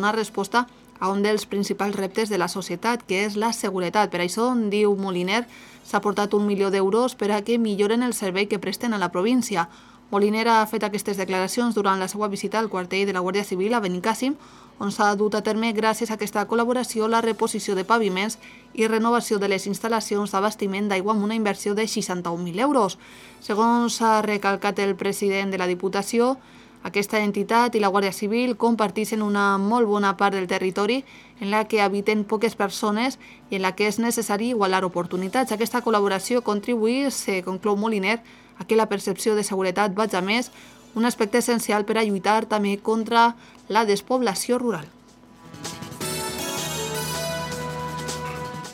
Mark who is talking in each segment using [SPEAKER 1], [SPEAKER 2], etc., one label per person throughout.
[SPEAKER 1] una resposta a un dels principals reptes de la societat, que és la seguretat. Per això, diu Moliner, s'ha aportat 1 milió d'euros per a que milloren el servei que presten a la província. Moliner ha fet aquestes declaracions durant la seva visita al quartell de la Guàrdia Civil a Benicàssim, on s'ha dut a terme, gràcies a aquesta col·laboració, la reposició de paviments i renovació de les instal·lacions d'abastiment d'aigua amb una inversió de 61.000 euros. Segons ha recalcat el president de la Diputació, aquesta entitat i la Guàrdia Civil comparteixen una molt bona part del territori en la que habiten poques persones i en la que és necessari igualar oportunitats. Aquesta col·laboració contribueix, conclou Moliner, a que la percepció de seguretat vagi a més, un aspecte essencial per a lluitar també contra la despoblació rural.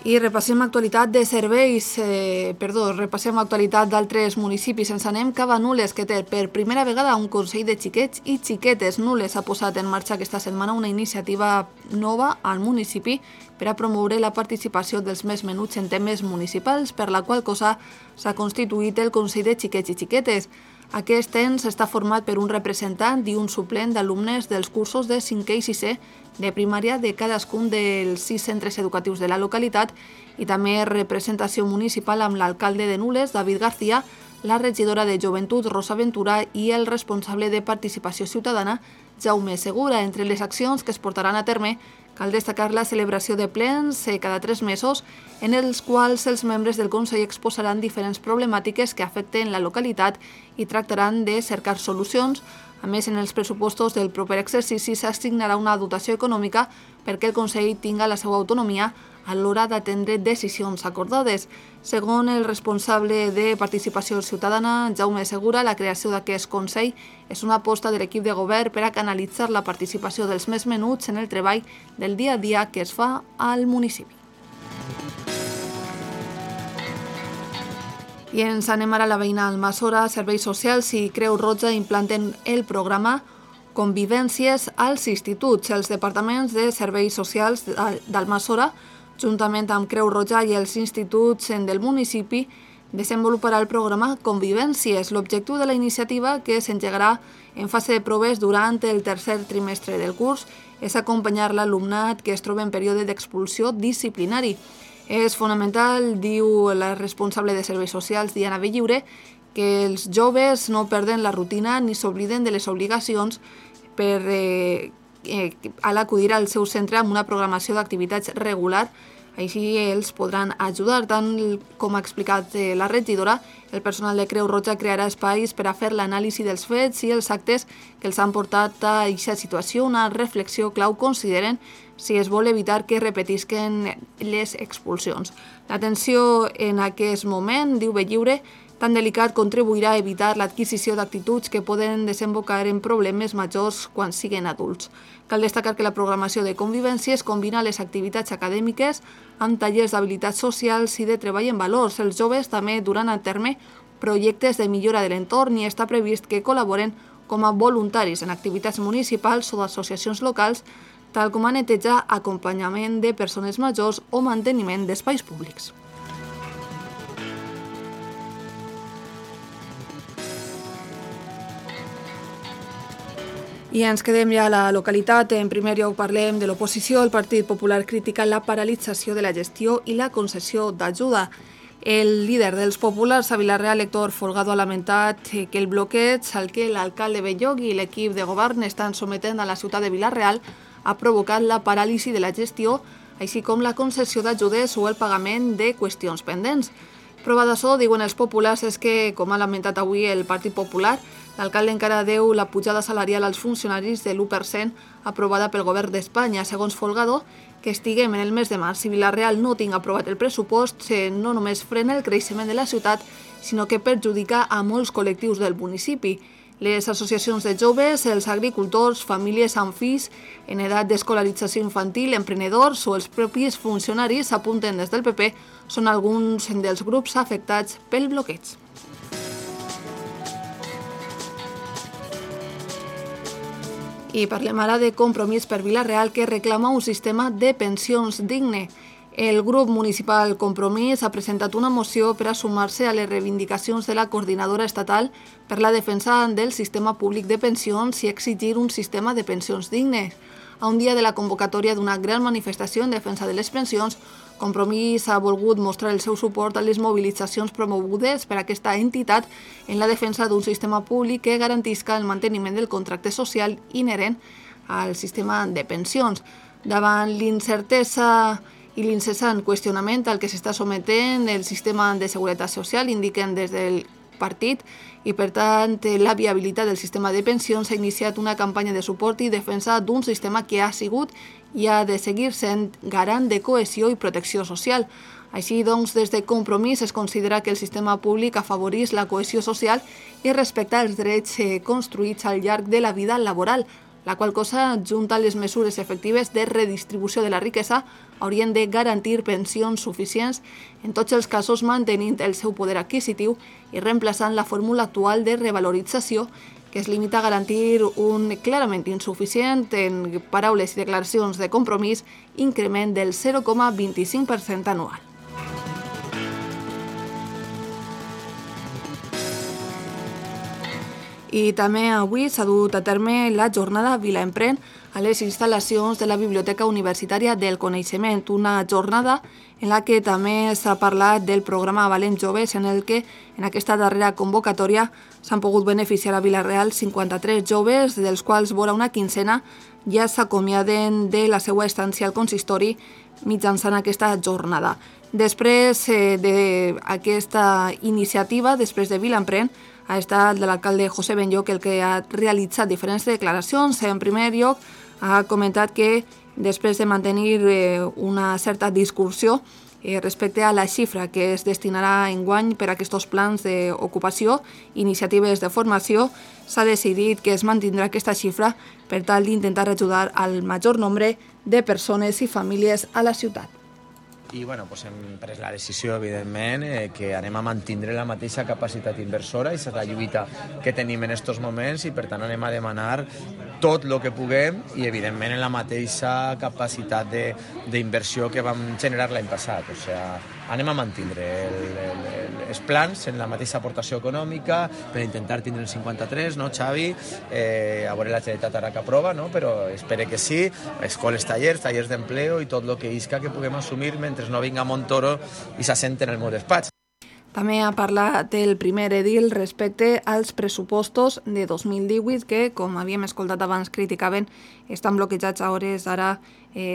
[SPEAKER 1] I repassem actualitat de serveis, repassem actualitat d'altres municipis. Ens anem cap a Nules, que té per primera vegada un Consell de Xiquets i Xiquetes. Nules ha posat en marxa aquesta setmana una iniciativa nova al municipi per a promoure la participació dels més menuts en temes municipals, per la qual cosa s'ha constituït el Consell de Xiquets i Xiquetes. Aquest ens està format per un representant i un suplent d'alumnes dels cursos de 5è i 6è de primària de cadascun dels 6 centres educatius de la localitat i també representació municipal amb l'alcalde de Nules, David García, la regidora de Joventut, Rosa Ventura, i el responsable de Participació Ciutadana, Jaume Segura. Entre les accions que es portaran a terme, cal destacar la celebració de plens cada 3 mesos, en els quals els membres del Consell exposaran diferents problemàtiques que afecten la localitat i tractaran de cercar solucions. A més, en els pressupostos del proper exercici s'assignarà una dotació econòmica perquè el Consell tinga la seva autonomia a l'hora d'atendre decisions acordades. Segons el responsable de Participació Ciutadana, Jaume Segura, la creació d'aquest Consell és una aposta de l'equip de govern per a canalitzar la participació dels més menuts en el treball del dia a dia que es fa al municipi. I ens anem ara a la veïna Almassora. Serveis Socials i Creu Roja implanten el programa Convivències als instituts. Els departaments de Serveis Socials d'Almassora, juntament amb Creu Roja i els instituts del municipi, desenvoluparà el programa Convivències. L'objectiu de la iniciativa, que s'engegarà en fase de proves durant el tercer trimestre del curs, és acompanyar l'alumnat que es troba en període d'expulsió disciplinari. És fonamental, diu la responsable de Serveis Socials, Diana Belliure, que els joves no perden la rutina ni s'obliden de les obligacions a l'acudir al seu centre amb una programació d'activitats regular. Així els podran ajudar. Tant com ha explicat la regidora, el personal de Creu Roja crearà espais per a fer l'anàlisi dels fets i els actes que els han portat a aquesta situació. Una reflexió clau, consideren, si es vol evitar que repetisquen les expulsions. L'atenció en aquest moment, diu Belliure, tan delicat, contribuirà a evitar l'adquisició d'actituds que poden desembocar en problemes majors quan siguin adults. Cal destacar que la programació de Convivències combina les activitats acadèmiques amb tallers d'habilitats socials i de treball en valors. Els joves també duran a terme projectes de millora de l'entorn i està previst que col·laboren com a voluntaris en activitats municipals o d'associacions locals, tal com a netejar, acompanyament de persones majors o manteniment d'espais públics. I ens quedem ja a la localitat. En primer lloc parlem de l'oposició. El Partit Popular critica la paralització de la gestió i la concessió d'ajuda. El líder dels populars a Vila-real, Héctor Folgado, ha lamentat que el bloqueig al que l'alcalde Belloc i l'equip de govern estan sometent a la ciutat de Vila-real ha provocat la paràlisi de la gestió, així com la concessió d'ajudes o el pagament de qüestions pendents. Prova d'això, diuen els populars, és que, com ha lamentat avui el Partit Popular, l'alcalde encara deu la pujada salarial als funcionaris de l'1% aprovada pel govern d'Espanya. Segons Folgado, que estiguem en el mes de març i Vila-real no tinga aprovat el pressupost, no només frena el creixement de la ciutat, sinó que perjudica a molts col·lectius del municipi. Les associacions de joves, els agricultors, famílies amb fills en edat d'escolarització infantil, emprenedors o els propis funcionaris, apunten des del PP, són alguns dels grups afectats pel bloqueig. I parlem ara de Compromís per Vila-real, que reclama un sistema de pensions digne. El grup municipal Compromís ha presentat una moció per a sumar-se a les reivindicacions de la coordinadora estatal per la defensa del sistema públic de pensions i exigir un sistema de pensions dignes. a un dia de la convocatòria d'una gran manifestació en defensa de les pensions. Compromís ha volgut mostrar el seu suport a les mobilitzacions promogudes per aquesta entitat en la defensa d'un sistema públic que garantisca el manteniment del contracte social inherent al sistema de pensions. Davant l'incertesa i l'incessant qüestionament al que s'està sometent el sistema de seguretat social, indiquen des del partit, i per tant la viabilitat del sistema de pensions, s'ha iniciat una campanya de suport i defensa d'un sistema que ha sigut i ha de seguir sent garant de cohesió i protecció social. Així doncs, des de Compromís es considera que el sistema públic afavoreix la cohesió social i respecta els drets construïts al llarg de la vida laboral, la qual cosa, junta les mesures efectives de redistribució de la riquesa, haurien de garantir pensions suficients en tots els casos, mantenint el seu poder adquisitiu i reemplaçant la fórmula actual de revalorització que es limita a garantir un clarament insuficient, en paraules i declaracions de Compromís, increment del 0,25% anual. I també avui s'ha dut a terme la jornada Vila Emprèn a les instal·lacions de la Biblioteca Universitària del Coneixement, una jornada en la que també s'ha parlat del programa Valents Joves, en el que en aquesta darrera convocatòria s'han pogut beneficiar a Vila-real 53 joves, dels quals vora una quinzena ja s'acomiaden de la seva estància al consistori mitjançant aquesta jornada. Després d'aquesta iniciativa, després de Vila Emprèn, ha estat l'alcalde José Benlloc el que ha realitzat diferents declaracions. En primer lloc, ha comentat que després de mantenir una certa discussió respecte a la xifra que es destinarà enguany per a aquests plans d'ocupació, iniciatives de formació, s'ha decidit que es mantindrà aquesta xifra per tal d'intentar ajudar al major nombre de persones i famílies a la ciutat.
[SPEAKER 2] I doncs hem pres la decisió, evidentment, que anem a mantindre la mateixa capacitat inversora, i és la lluita que tenim en aquests moments, i per tant anem a demanar tot el que puguem i, evidentment, en la mateixa capacitat d'inversió que vam generar l'any passat. O sigui, anem a mantindre els plans en la mateixa aportació econòmica per intentar tindre el 53, no, Xavi? A veure la Generalitat ara que aprova, no? Però espero que sí. Escoles, tallers d'empleo i tot el que isca que puguem assumir mentre no vinga Montoro i s'assent en el meu despatx.
[SPEAKER 1] També ha parlat el primer edil respecte als pressupostos de 2018 que, com havíem escoltat abans, criticaven, estan bloquejats a hores d'ara,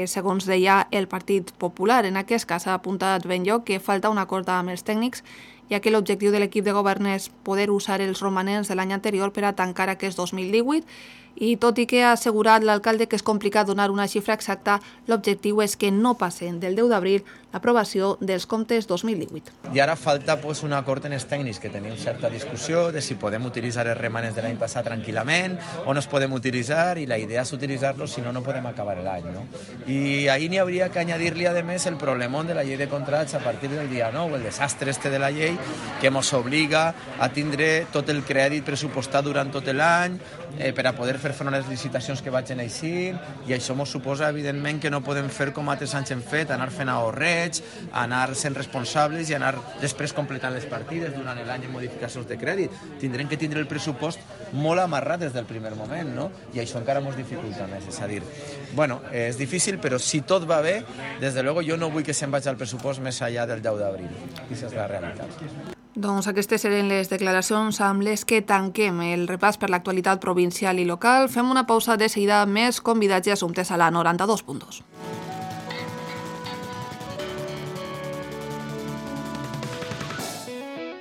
[SPEAKER 1] segons deia el Partit Popular. En aquest cas ha apuntat Benlloc que falta un acord amb els tècnics, ja que l'objectiu de l'equip de govern és poder usar els romanents de l'any anterior per a tancar aquest 2018, i tot i que ha assegurat l'alcalde que és complicat donar una xifra exacta, l'objectiu és que no passen del 10 d'abril l'aprovació dels comptes 2018.
[SPEAKER 2] I ara falta un acord en els tècnics, que tenim certa discussió de si podem utilitzar els remanents de l'any passat tranquil·lament o no es podem utilitzar, i la idea és utilitzar-los, si no, no podem acabar l'any, no? I ahí n'hi hauria que añadir-li, a més, el problemón de la llei de contrats a partir del dia 9, el desastre de la llei que ens obliga a tindre tot el crèdit pressupostat durant tot l'any per a poder fer front a les licitacions que vagin així, i això ens suposa, evidentment, que no podem fer com altres anys hem fet, anar fent ahorrets, anar sent responsables i anar després completant les partides durant l'any en modificacions de crèdit. Tindrem que tindre el pressupost molt amarrat des del primer moment, no? I això encara ens dificulta més, és a dir, és difícil, però si tot va bé, des de luego jo no vull que se'n vagi el pressupost més enllà del 10 d'abril. Aquesta és la realitat.
[SPEAKER 1] Doncs aquestes eren les declaracions amb les que tanquem el repàs per l'actualitat provincial i local. Fem una pausa de seguida, més convidats i assumptes a la 92.2.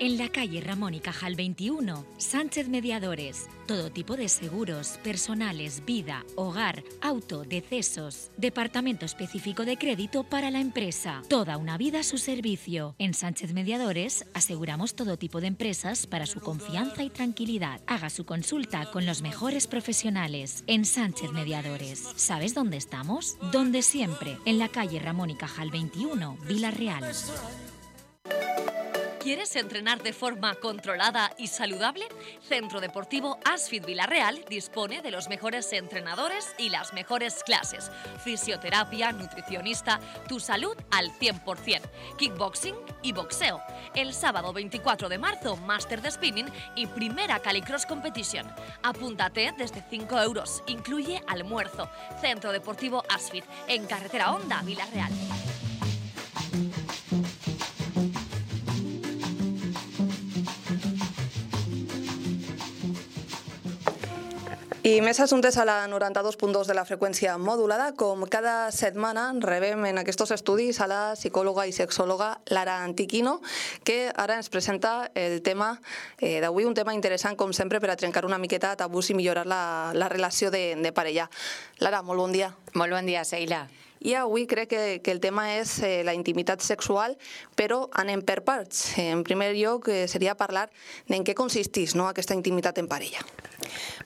[SPEAKER 3] En la calle Ramón y Cajal 21, Sánchez Mediadores. Todo tipo de seguros, personales, vida, hogar, auto, decesos. Departamento específico de crédito para la empresa. Toda una vida a su servicio. En Sánchez Mediadores aseguramos todo tipo de empresas para su confianza y tranquilidad. Haga su consulta con los mejores profesionales. En Sánchez Mediadores. ¿Sabes dónde estamos? Donde siempre. En la calle Ramón y Cajal 21, Vila-real.
[SPEAKER 4] ¿Quieres entrenar de forma controlada y saludable? Centro Deportivo Asfit Villarreal dispone de los mejores entrenadores y las mejores clases. Fisioterapia, nutricionista, tu salud al 100%. Kickboxing y boxeo. El sábado 24 de marzo, máster de spinning y primera Calicross Competition. Apúntate desde 5 euros. Incluye almuerzo. Centro Deportivo Asfit, en Carretera Honda, Villarreal.
[SPEAKER 1] I més assumptes a la 92.2 de la freqüència modulada. Com cada setmana rebem en aquests estudis a la psicòloga i sexòloga Lara Antiquino, que ara ens presenta el tema d'avui, un tema interessant com sempre per a trencar una miqueta tabús i millorar la relació de parella. Lara, molt bon dia.
[SPEAKER 5] Molt bon dia, Sheila.
[SPEAKER 1] I avui crec que el tema és la intimitat sexual, però anem per parts. En primer lloc seria parlar en què consisteix aquesta intimitat en parella.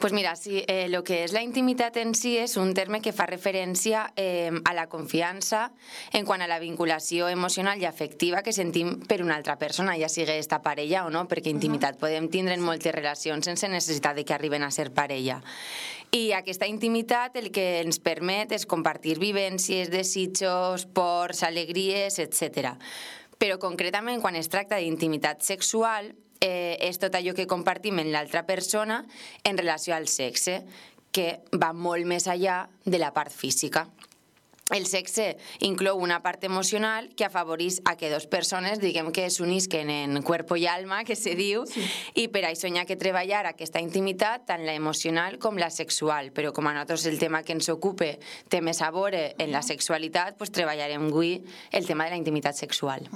[SPEAKER 5] Pues mira, sí, lo que es la intimitat en si és un terme que fa referència a la confiança en quant a la vinculació emocional i afectiva que sentim per una altra persona, ja sigui esta parella o no, perquè intimitat podem tindre en moltes relacions sense necessitat de que arriben a ser parella. I aquesta intimitat el que ens permet és compartir vivències, desitjos, pors, alegries, etc. Però concretament quan es tracta d'intimitat sexual és tot allò que compartim amb l'altra persona en relació al sexe, que va molt més enllà de la part física. El sexe inclou una part emocional que afavoreix a que dues persones, diguem que s'unisquen en cuerpo i alma, que se diu, i per això hi ha que treballar aquesta intimitat, tant la emocional com la sexual. Però com a nosaltres el tema que ens ocupa té més a veure en la sexualitat, doncs treballarem avui el tema de la intimitat sexual.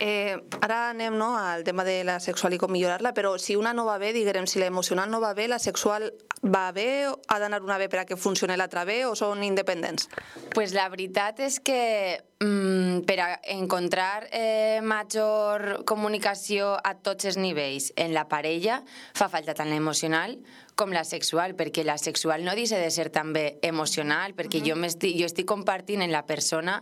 [SPEAKER 1] Ara anem al tema de la sexual i com millorar-la, però si una no va bé, diguem, si l'emocional no va bé, la sexual va bé, ha d'anar una bé per a que funcioni l'altra bé o són independents?
[SPEAKER 5] Pues la veritat és que per a encontrar major comunicació a tots els nivells en la parella fa falta tant l'emocional com la sexual, perquè la sexual no deixa de ser també emocional, perquè jo estic compartint en la persona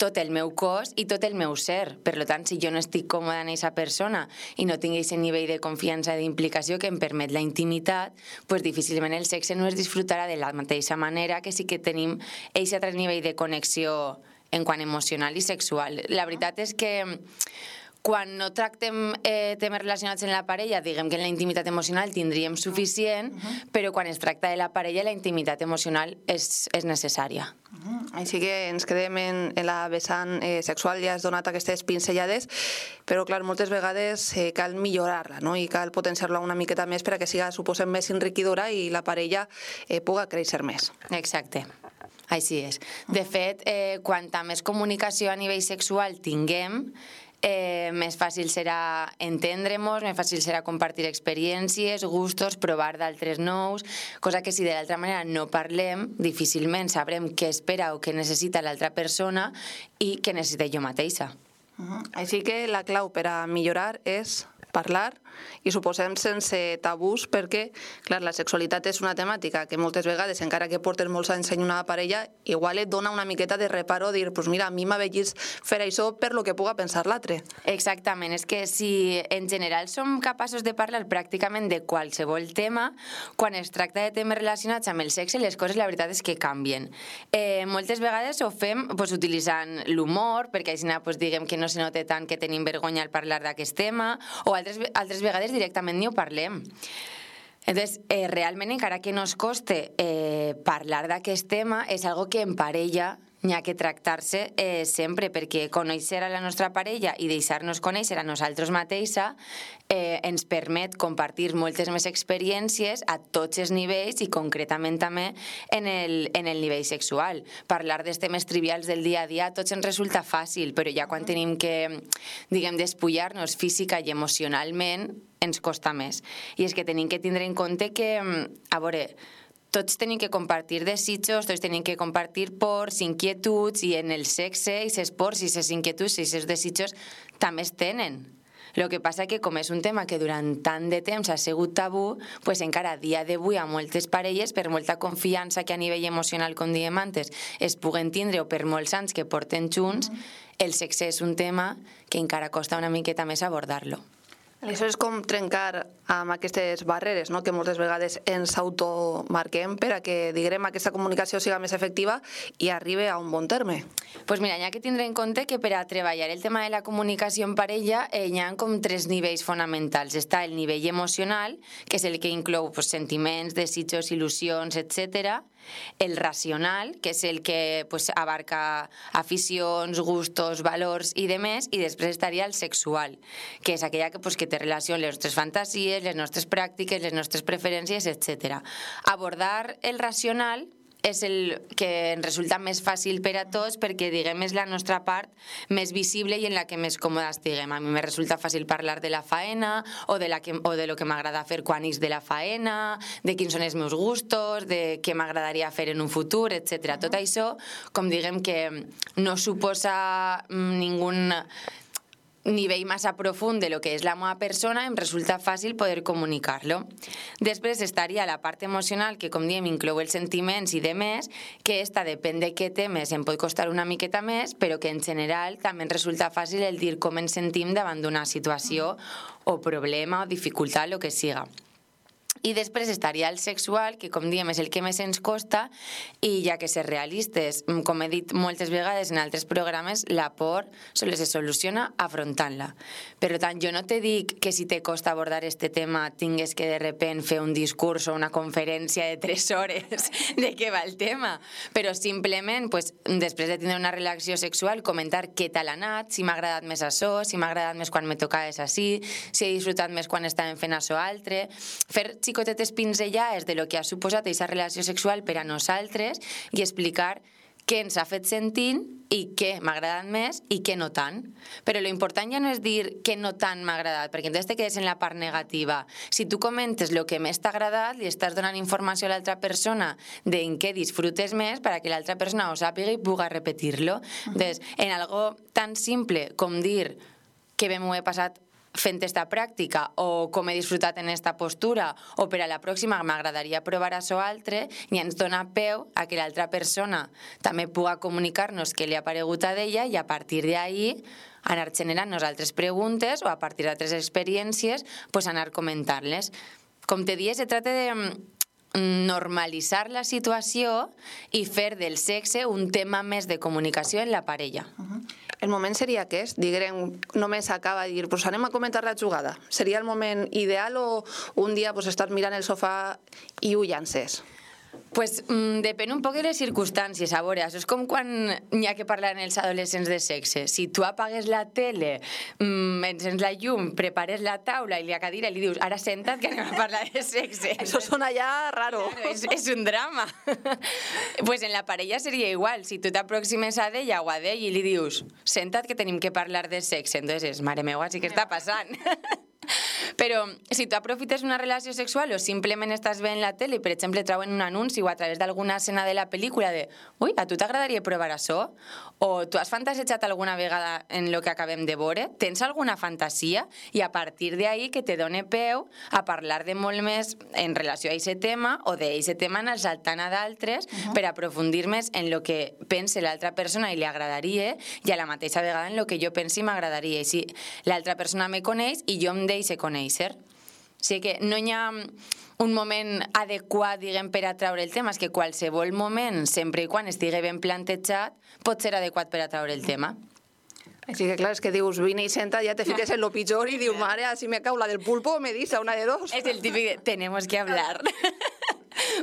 [SPEAKER 5] tot el meu cos i tot el meu ser. Per tant, si jo no estic còmoda en aquesta persona i no tinc aquest nivell de confiança i d'implicació que em permet la intimitat, doncs difícilment el sexe no es disfrutarà de la mateixa manera que sí que tenim aquest altre nivell de connexió en quant emocional i sexual. La veritat és que quan no tractem temes relacionats en la parella, diguem que en la intimitat emocional tindríem suficient, però quan es tracta de la parella, la intimitat emocional és necessària.
[SPEAKER 1] Així que ens quedem en la vessant sexual, ja has donat aquestes pinzellades, però clar, moltes vegades cal millorar-la, no? I cal potenciar-la una miqueta més per a que siga, suposem, més enriquidora i la parella puga créixer més.
[SPEAKER 5] Exacte. Així és. De fet, quanta més comunicació a nivell sexual tinguem, més fàcil serà entendre-nos, més fàcil serà compartir experiències, gustos, provar d'altres nous, cosa que si de l'altra manera no parlem, difícilment sabrem què espera o què necessita l'altra persona i què necessita jo mateixa.
[SPEAKER 1] Així que la clau per a millorar és parlar i suposem sense tabús, perquè clar, la sexualitat és una temàtica que moltes vegades, encara que portes molts anys en una parella, igual et dona una miqueta de reparo dir, pues mira, a mi m'ha vegit fer això per lo que puga pensar l'altre.
[SPEAKER 5] Exactament, és que si en general som capaços de parlar pràcticament de qualsevol tema, quan es tracta de temes relacionats amb el sexe, les coses la veritat és que canvien. Moltes vegades ho fem utilitzant l'humor, perquè així diguem que no se nota tant que tenim vergonya al parlar d'aquest tema, o altres vegades directament ni ho parlem. Entonces, realment, encara que no es coste parlar d'aquest tema, és algo que en parella n'hi ha que tractar-se sempre, perquè conèixer a la nostra parella i deixar-nos conèixer a nosaltres mateixa ens permet compartir moltes més experiències a tots els nivells i concretament també en el nivell sexual. Parlar dels temes trivials del dia a dia a tots ens resulta fàcil, però ja quan tenim que, diguem, despullar-nos física i emocionalment ens costa més. I és que tenim que tindre en compte que, a veure, tots tenim que compartir desitjos, tots tenim que compartir pors, inquietuds, i en el sexe, aquests pors, aquestes inquietuds, aquests desitjos també es tenen. El que passa que com és un tema que durant tant de temps ha sigut tabú, pues encara a dia d'avui a moltes parelles, per molta confiança que a nivell emocional, com diem antes, es puguen tindre o per molts anys que porten junts, el sexe és un tema que encara costa una miqueta més abordar-lo.
[SPEAKER 1] Això és com trencar amb aquestes barreres, no?, que moltes vegades ens automarquem per a que, diguem, aquesta comunicació siga més efectiva i arribi a un bon terme.
[SPEAKER 5] Pues mira, hi ha que tindre en compte que per a treballar el tema de la comunicació en parella hi ha com 3 nivells fonamentals. Està el nivell emocional, que és el que inclou sentiments, desitjos, il·lusions, etc. El racional, que és el que abarca aficions, gustos, valors i demés, i després estaria el sexual, que és aquella que té relació amb les nostres fantasies, les nostres pràctiques, les nostres preferències, etc. Abordar el racional és el que ens resulta més fàcil per a tots perquè, diguem, és la nostra part més visible i en la que més còmoda estiguem. A mi me resulta fàcil parlar de la faena o de lo que m'agrada fer quan ix de la faena, de quins són els meus gustos, de què m'agradaria fer en un futur, etc. Tot això, com diguem que no suposa ningun nivell massa profund de lo que és la meva persona, em resulta fàcil poder comunicar-lo. Després estaria la part emocional, que com diem inclou els sentiments i demés, que esta depèn de què temes em pot costar una miqueta més, però que en general també ens resulta fàcil el dir com ens sentim davant d'una situació o problema o dificultat, el que siga. I després estaria el sexual, que com diem és el que més ens costa, i ja que ser realistes, com he dit moltes vegades en altres programes, la por sols se soluciona afrontant-la. Per tant, jo no te dic que si te costa abordar este tema tingues que de repent fer un discurs o una conferència de 3 hores de què va el tema, però simplement, després de tindre una relació sexual, comentar què tal ha anat, si m'ha agradat més això, si m'ha agradat més quan me tocaves així, si he disfrutat més quan estàvem fent això altre, fer xicotetes pinzellades de lo que ha suposat aquesta relació sexual per a nosaltres i explicar què ens ha fet sentint i què m'ha agradat més i què no tant. Però l'important ja no és dir què no tant m'ha agradat, perquè entonces te quedes en la part negativa. Si tu comentes el que més t'ha agradat, li estàs donant informació a l'altra persona d'en què disfrutes més perquè l'altra persona ho sàpiga i puga repetir-lo. Entonces, en algo tan simple com dir que bé m'ho he passat fent esta pràctica o com he disfrutat en esta postura o per a la pròxima m'agradaria provar això altre, i ens dona peu a que l'altra persona també puga comunicar-nos què li ha paregut a d'ella i a partir d'ahí anar generant-nos altres preguntes o a partir d'altres experiències anar comentant-les. Com te dies, se trata de normalitzar la situació i fer del sexe un tema més de comunicació en la parella.
[SPEAKER 1] El moment seria aquest? Diguem, només acaba de dir, pues anem a comentar la jugada. Seria el moment ideal o un dia estar mirant el sofà i ho llances?
[SPEAKER 5] Pues depèn un poc de les circumstàncies, a veure, això és com quan n'hi ha que parlar en els adolescents de sexe. Si tu apagues la tele, encens la llum, prepares la taula i la cadira i li dius, ara senta't que anem a parlar de sexe.
[SPEAKER 1] Això sona ja raro.
[SPEAKER 5] Claro, és un drama. Pues en la parella seria igual. Si tu t'aproximes a ella o a d'ell i li dius, senta't que tenim que parlar de sexe, entonces, mare meva, sí que està passant. Però si tu aprofites una relació sexual o simplement estàs veient la tele i, per exemple, trauen un anunci o a través d'alguna escena de la pel·lícula de ui, a tu t'agradaria provar això? O tu has fantasejat alguna vegada en lo que acabem de veure? Tens alguna fantasia? I a partir d'ahí que te done peu a parlar de molt més en relació a aquest tema o d'aquest tema anar saltant a d'altres per aprofundir més en lo que pensa l'altra persona i li agradaria i a la mateixa vegada en lo que jo pensi i m'agradaria. I si l'altra persona me coneix i jo em deixo conèixer. O sigui que no hi ha un moment adequat, diguem, per a traure el tema. És que qualsevol moment, sempre i quan estigui ben plantejat, pot ser adequat per a traure el tema.
[SPEAKER 1] Així que clar, és que dius, vine i senta, ja te fiques en lo pitjor i dius, mare, si me cau la del pulpo, me dice una de dos.
[SPEAKER 5] És el típic de, tenemos que hablar.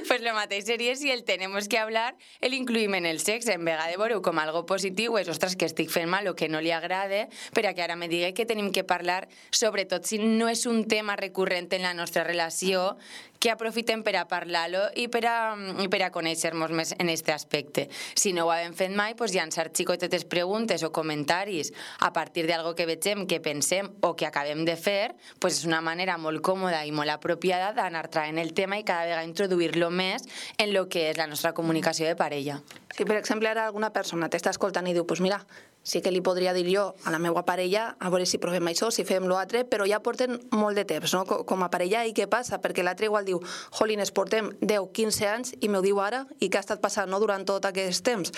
[SPEAKER 5] Pues lo mateix seria si el tenemos que hablar el incluïm en el sexe. En vegada de veure-ho com algo positiu és, ostres, que estic fent mal o que no li agrada, per a que ara me digui que tenim que parlar, sobretot si no és un tema recurrent en la nostra relació, que aprofitem per a parlar-lo i per a conèixer-nos més en aquest aspecte. Si no ho hem fet mai, doncs llançar xicotetes preguntes o comentaris a partir d'algo que vegem, que pensem o que acabem de fer, doncs és una manera molt còmoda i molt apropiada d'anar traient el tema i cada vegada introduir-lo més en el que és la nostra comunicació de parella.
[SPEAKER 1] Si, per exemple, ara alguna persona t'està escoltant i diu, pues mira, sí que li podria dir jo a la meva parella a veure si provem això, si fem l'altre, però ja porten molt de temps, no? Com a parella, i què passa? Perquè l'altre igual diu, jolines, portem 10-15 anys i m'ho diu ara, i què ha estat passant, no?, durant tot aquest temps.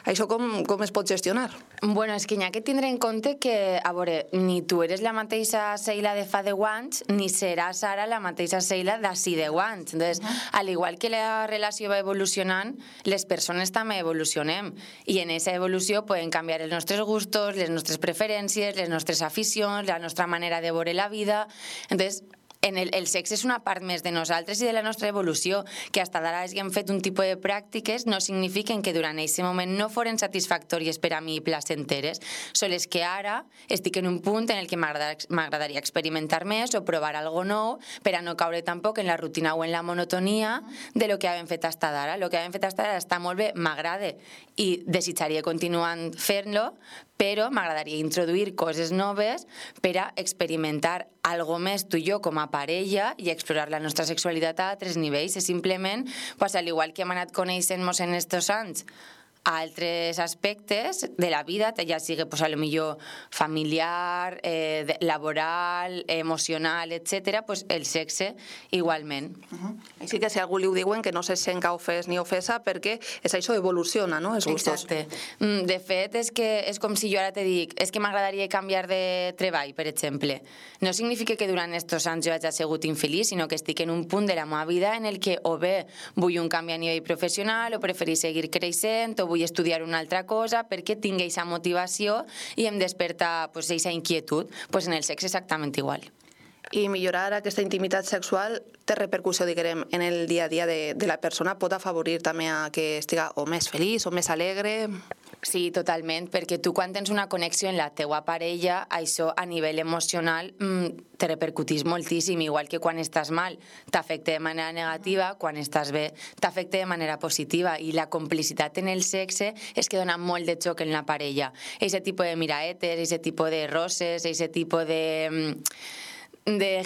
[SPEAKER 1] Això com es pot gestionar?
[SPEAKER 5] Bueno, és que n'hi ha que tindre en compte que, a veure, ni tu eres la mateixa Sheila de fa 10 anys, ni seràs ara la mateixa Sheila d'ací 10 anys. Entonces, al igual que la relació va evolucionant, les persones també evolucionem, i en aquesta evolució poden canviar els nostres gustos, les nostres preferències, les nostres aficions, la nostra manera de veure la vida. Entonces, el sexe és una part més de nosaltres i de la nostra evolució, que fins ara hàgim fet un tipus de pràctiques no signifiquen que durant aquest moment no foren satisfactòries per a mi i placenteres, sols que ara estic en un punt en el que m'agradaria experimentar més o provar algo nou per a no caure tampoc en la rutina o en la monotonia de lo que hem fet fins ara. El que hem fet fins ara està molt bé, m'agrada i desitjaria continuar fent-lo, però m'agradaria introduir coses noves per a experimentar algo més tu i jo com a parella i explorar la nostra sexualitat a altres nivells. És simplement, al igual que hem anat coneixent-nos en estos anys a altres aspectes de la vida, ja sigui a lo millor familiar, laboral, emocional, etc., el sexe igualment.
[SPEAKER 1] Així que si algú li ho diuen, que no se sent ofès ni ofesa, perquè és això, evoluciona, no?, els gustos.
[SPEAKER 5] Exacte. De fet, és com si jo ara te dic, és que m'agradaria canviar de treball, per exemple. No significa que durant estos anys jo hagi sigut infeliç, sinó que estic en un punt de la meva vida en el que o bé vull un canvi a nivell professional, o preferir seguir creixent, o vull estudiar una altra cosa perquè tinc aquesta motivació i em desperta aquesta inquietud. En el sexe exactament igual.
[SPEAKER 1] I millorar aquesta intimitat sexual té repercussió, diguem, en el dia a dia de la persona? Pot afavorir també a que estiga o més feliç o més alegre?
[SPEAKER 5] Sí, totalment, perquè tu quan tens una connexió amb la teua parella, això a nivell emocional te repercutís moltíssim, igual que quan estàs mal t'afecta de manera negativa, quan estàs bé t'afecta de manera positiva, i la complicitat en el sexe és que dona molt de xoc en la parella. Aquest tipus de miraetes, aquest tipus de roses, aquest tipus de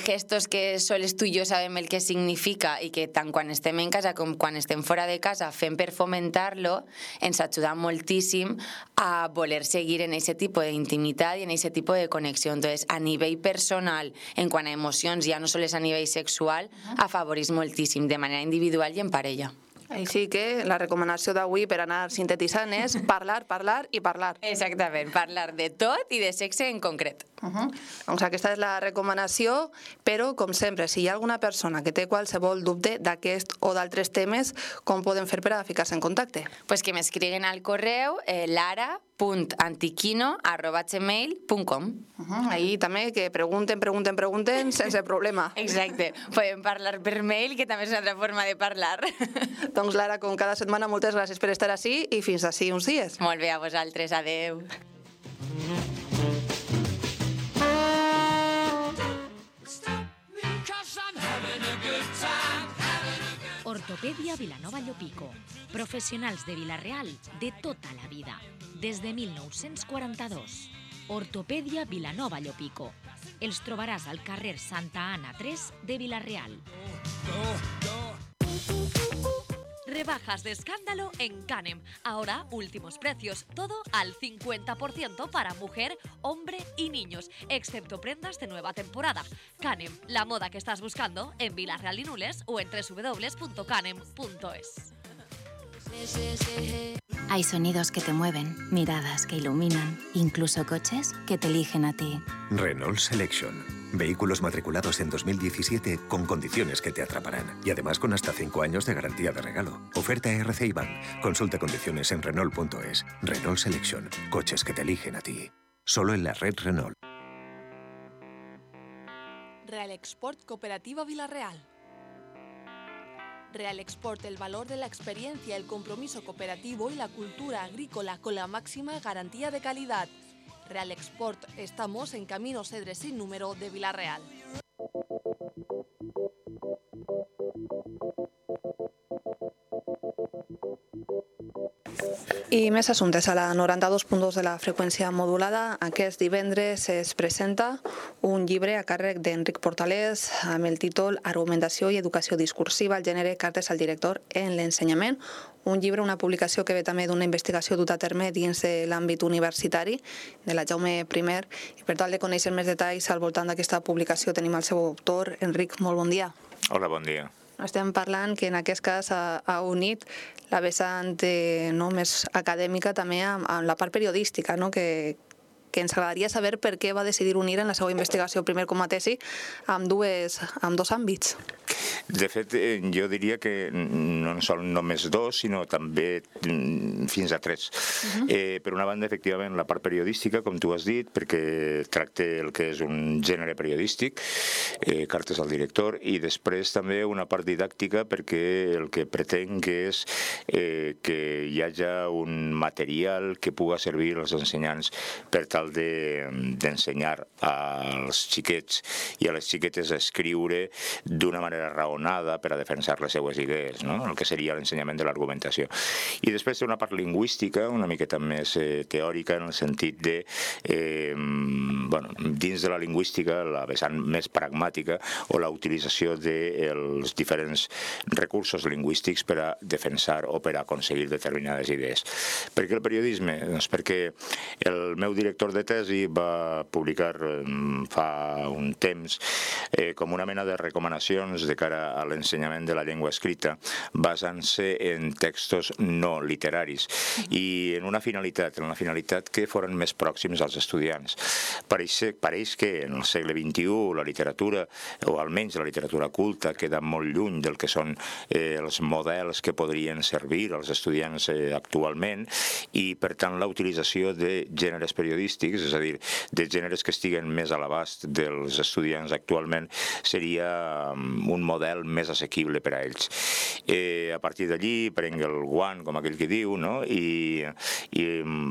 [SPEAKER 5] gestos que sols tu i jo sabem el que significa i que tant quan estem en casa com quan estem fora de casa fem per fomentar-lo, ens ajuda moltíssim a voler seguir en aquest tipus d'intimitat i en aquest tipus de connexió. Entonces, a nivell personal, en quant a emocions, ja no sols a nivell sexual, afavorís moltíssim de manera individual i en parella.
[SPEAKER 1] Així que la recomanació d'avui, per anar sintetitzant, és parlar, parlar i parlar.
[SPEAKER 5] Exactament, parlar de tot i de sexe en concret.
[SPEAKER 1] Doncs aquesta és la recomanació, però, com sempre, si hi ha alguna persona que té qualsevol dubte d'aquest o d'altres temes, com poden fer per a ficar-se en contacte?
[SPEAKER 5] Pues que m'escriguen al correu lara.antiquino@gmail.com.
[SPEAKER 1] Ahí també que pregunten sense problema.
[SPEAKER 5] Exacte, podem parlar per mail, que també és una altra forma de parlar.
[SPEAKER 1] Doncs Lara, com cada setmana, moltes gràcies per estar ací i fins ací uns dies.
[SPEAKER 5] Molt bé, a vosaltres, adeu.
[SPEAKER 3] Ortopedia Vilanova Llopico. Professionals de Vila-real de tota la vida. Des de 1942. Ortopedia Vilanova Llopico. Els trobaràs al carrer Santa Anna 3 de Vila-real.
[SPEAKER 4] Rebajas de escándalo en Canem. Ahora, últimos precios. Todo al 50% para mujer, hombre y niños, excepto prendas de nueva temporada. Canem, la moda que estás buscando en Vila-real y Nules o en www.canem.es.
[SPEAKER 6] Hay sonidos que te mueven, miradas que iluminan, incluso coches que te eligen a ti.
[SPEAKER 7] Renault Selection. Vehículos matriculados en 2017 con condiciones que te atraparán. Y además con hasta 5 años de garantía de regalo. Oferta RC IBAN. Consulta condiciones en Renault.es. Renault Selection. Coches que te eligen a ti. Solo en la red Renault.
[SPEAKER 8] Real Export Cooperativa Vila-real. Real Export, el valor de la experiencia, el compromiso cooperativo y la cultura agrícola con la máxima garantía de calidad. Real Export, estamos en Camino Cedres sin número de Vila-real.
[SPEAKER 1] I més assumptes. A la 92.2 de la freqüència modulada, aquest divendres es presenta un llibre a càrrec d'Enric Portalés amb el títol Argumentació i educació discursiva, el gènere, cartes al director en l'ensenyament, un llibre, una publicació que ve també d'una investigació duta a terme dins de l'àmbit universitari de la Jaume I, i per tal de conèixer més detalls al voltant d'aquesta publicació tenim el seu autor, Enric, molt bon dia.
[SPEAKER 9] Hola, bon dia.
[SPEAKER 1] Estem parlant que en aquest cas ha unit la vessant més acadèmica també amb la part periodística, que ens agradaria saber per què va decidir unir en la seva investigació, primer com a tesi, amb dos àmbits.
[SPEAKER 9] De fet, jo diria que no són només dos, sinó també fins a tres. Per una banda, efectivament, la part periodística, com tu has dit, perquè tracta el que és un gènere periodístic, cartes al director, i després també una part didàctica, perquè el que pretenc és que hi hagi un material que puga servir als ensenyants per tal d'ensenyar als xiquets i a les xiquetes a escriure d'una manera raonada per a defensar les seues idees, el que seria l'ensenyament de l'argumentació. I després té una part lingüística, una miqueta més teòrica, en el sentit de, dins de la lingüística, la vessant més pragmàtica o la utilització dels diferents recursos lingüístics per a defensar o per a aconseguir determinades idees. Per què el periodisme? Doncs perquè el meu director de tesi va publicar fa un temps com una mena de recomanacions de cara a l'ensenyament de la llengua escrita basant-se en textos no literaris i en una finalitat que foren més pròxims als estudiants. Pareix que en el segle XXI la literatura, o almenys la literatura culta, queda molt lluny del que són els models que podrien servir als estudiants actualment i, per tant, la utilització de gèneres periodístics, és a dir, de gèneres que estiguen més a l'abast dels estudiants actualment, seria un model més assequible per a ells. A partir d'allí prenc el guant, com aquell que diu, i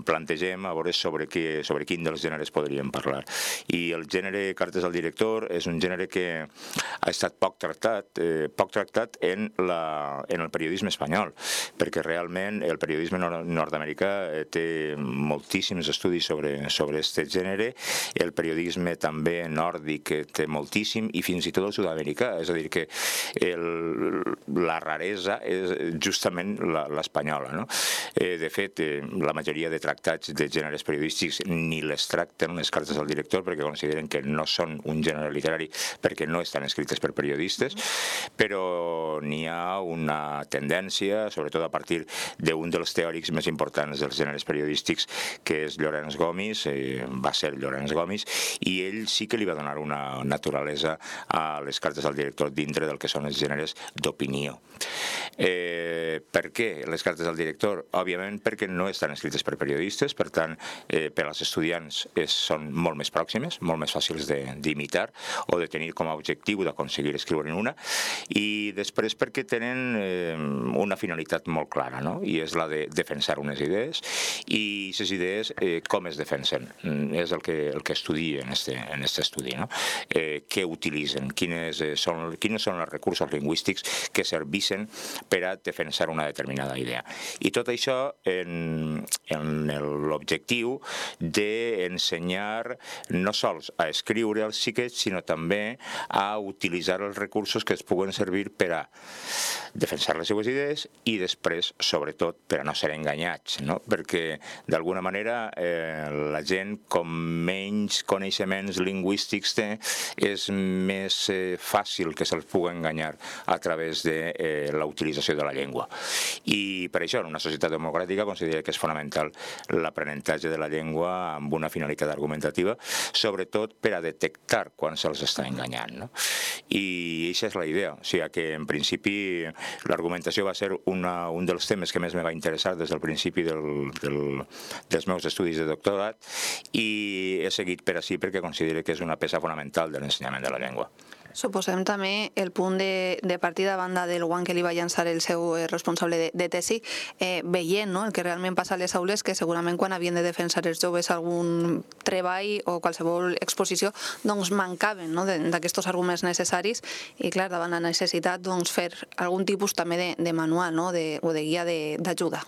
[SPEAKER 9] plantegem a veure sobre quin dels gèneres podríem parlar. I el gènere cartes al director és un gènere que ha estat poc tractat en el periodisme espanyol, perquè realment el periodisme nord-americà té moltíssims estudis sobre aquest gènere, el periodisme també nòrdic té moltíssim, i fins i tot el sud-americà, és a dir, que la raresa és justament l'espanyola. De fet, la majoria de tractats de gèneres periodístics ni les tracten les cartes al director perquè consideren que no són un gènere literari perquè no estan escrites per periodistes, però n'hi ha una tendència, sobretot a partir d'un dels teòrics més importants dels gèneres periodístics, que és Llorenç Gomis, va ser Llorenç Gomis, i ell sí que li va donar una naturalesa a les cartes al director dintre del que són els gèneres d'opinió. Per què les cartes al director? Òbviament perquè no estan escrites per periodistes, per tant, per als estudiants són molt més pròximes, molt més fàcils d'imitar o de tenir com a objectiu d'aconseguir escriure-ne una, i després perquè tenen una finalitat molt clara, i és la de defensar unes idees, i aquestes idees com es defensen? És el que estudien en aquest estudi. Què utilitzen? Quins són els recursos lingüístics que servissin per a defensar una determinada idea. I tot això en l'objectiu d'ensenyar no sols a escriure als xiquets, sinó també a utilitzar els recursos que es puguen servir per a defensar les seues idees i després, sobretot, per a no ser enganyats, perquè d'alguna manera la gent com menys coneixements lingüístics té, és més fàcil que se'ls pugui enganyar a través de la utilització de la llengua. I per això, en una societat democràtica, considero que és fonamental l'aprenentatge de la llengua amb una finalitat argumentativa, sobretot per a detectar quan se'ls està enganyant. I aquesta és la idea. O sigui que, en principi, l'argumentació va ser un dels temes que més me va interessar des del principi dels meus estudis de doctorat, i he seguit per així perquè considero que és una peça fonamental de l'ensenyament de la llengua.
[SPEAKER 1] Suposem també el punt de partida a banda del guant que li va llançar el seu responsable de tesi, veient el que realment passa a les aules, que segurament quan havien de defensar els joves algun treball o qualsevol exposició, doncs mancaven d'aquests arguments necessaris, i clar, davant la necessitat fer algun tipus també de manual o de guia d'ajuda.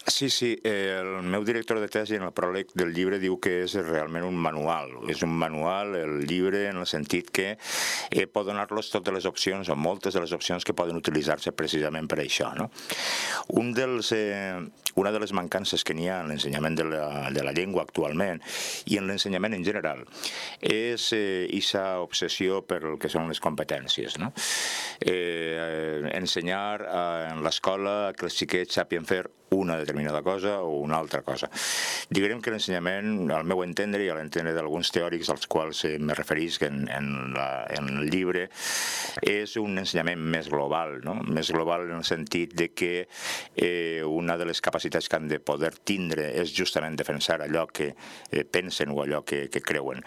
[SPEAKER 9] Sí, el meu director de tesi en el pròleg del llibre diu que és realment un manual. És un manual, el llibre, en el sentit que pot donar-los totes les opcions o moltes de les opcions que poden utilitzar-se precisament per això, no? Una de les mancances que n'hi ha en l'ensenyament de la llengua actualment i en l'ensenyament en general és aquesta obsessió per el que són les competències, no? Ensenyar en l'escola que els xiquets sàpien fer una determinada cosa o una altra cosa. Diguem que l'ensenyament, al meu entendre i a l'entendre d'alguns teòrics als quals me referisc en el llibre, és un ensenyament més global, no? Més global en el sentit de que una de les capacitats que han de poder tindre és justament defensar allò que pensen o allò que creuen.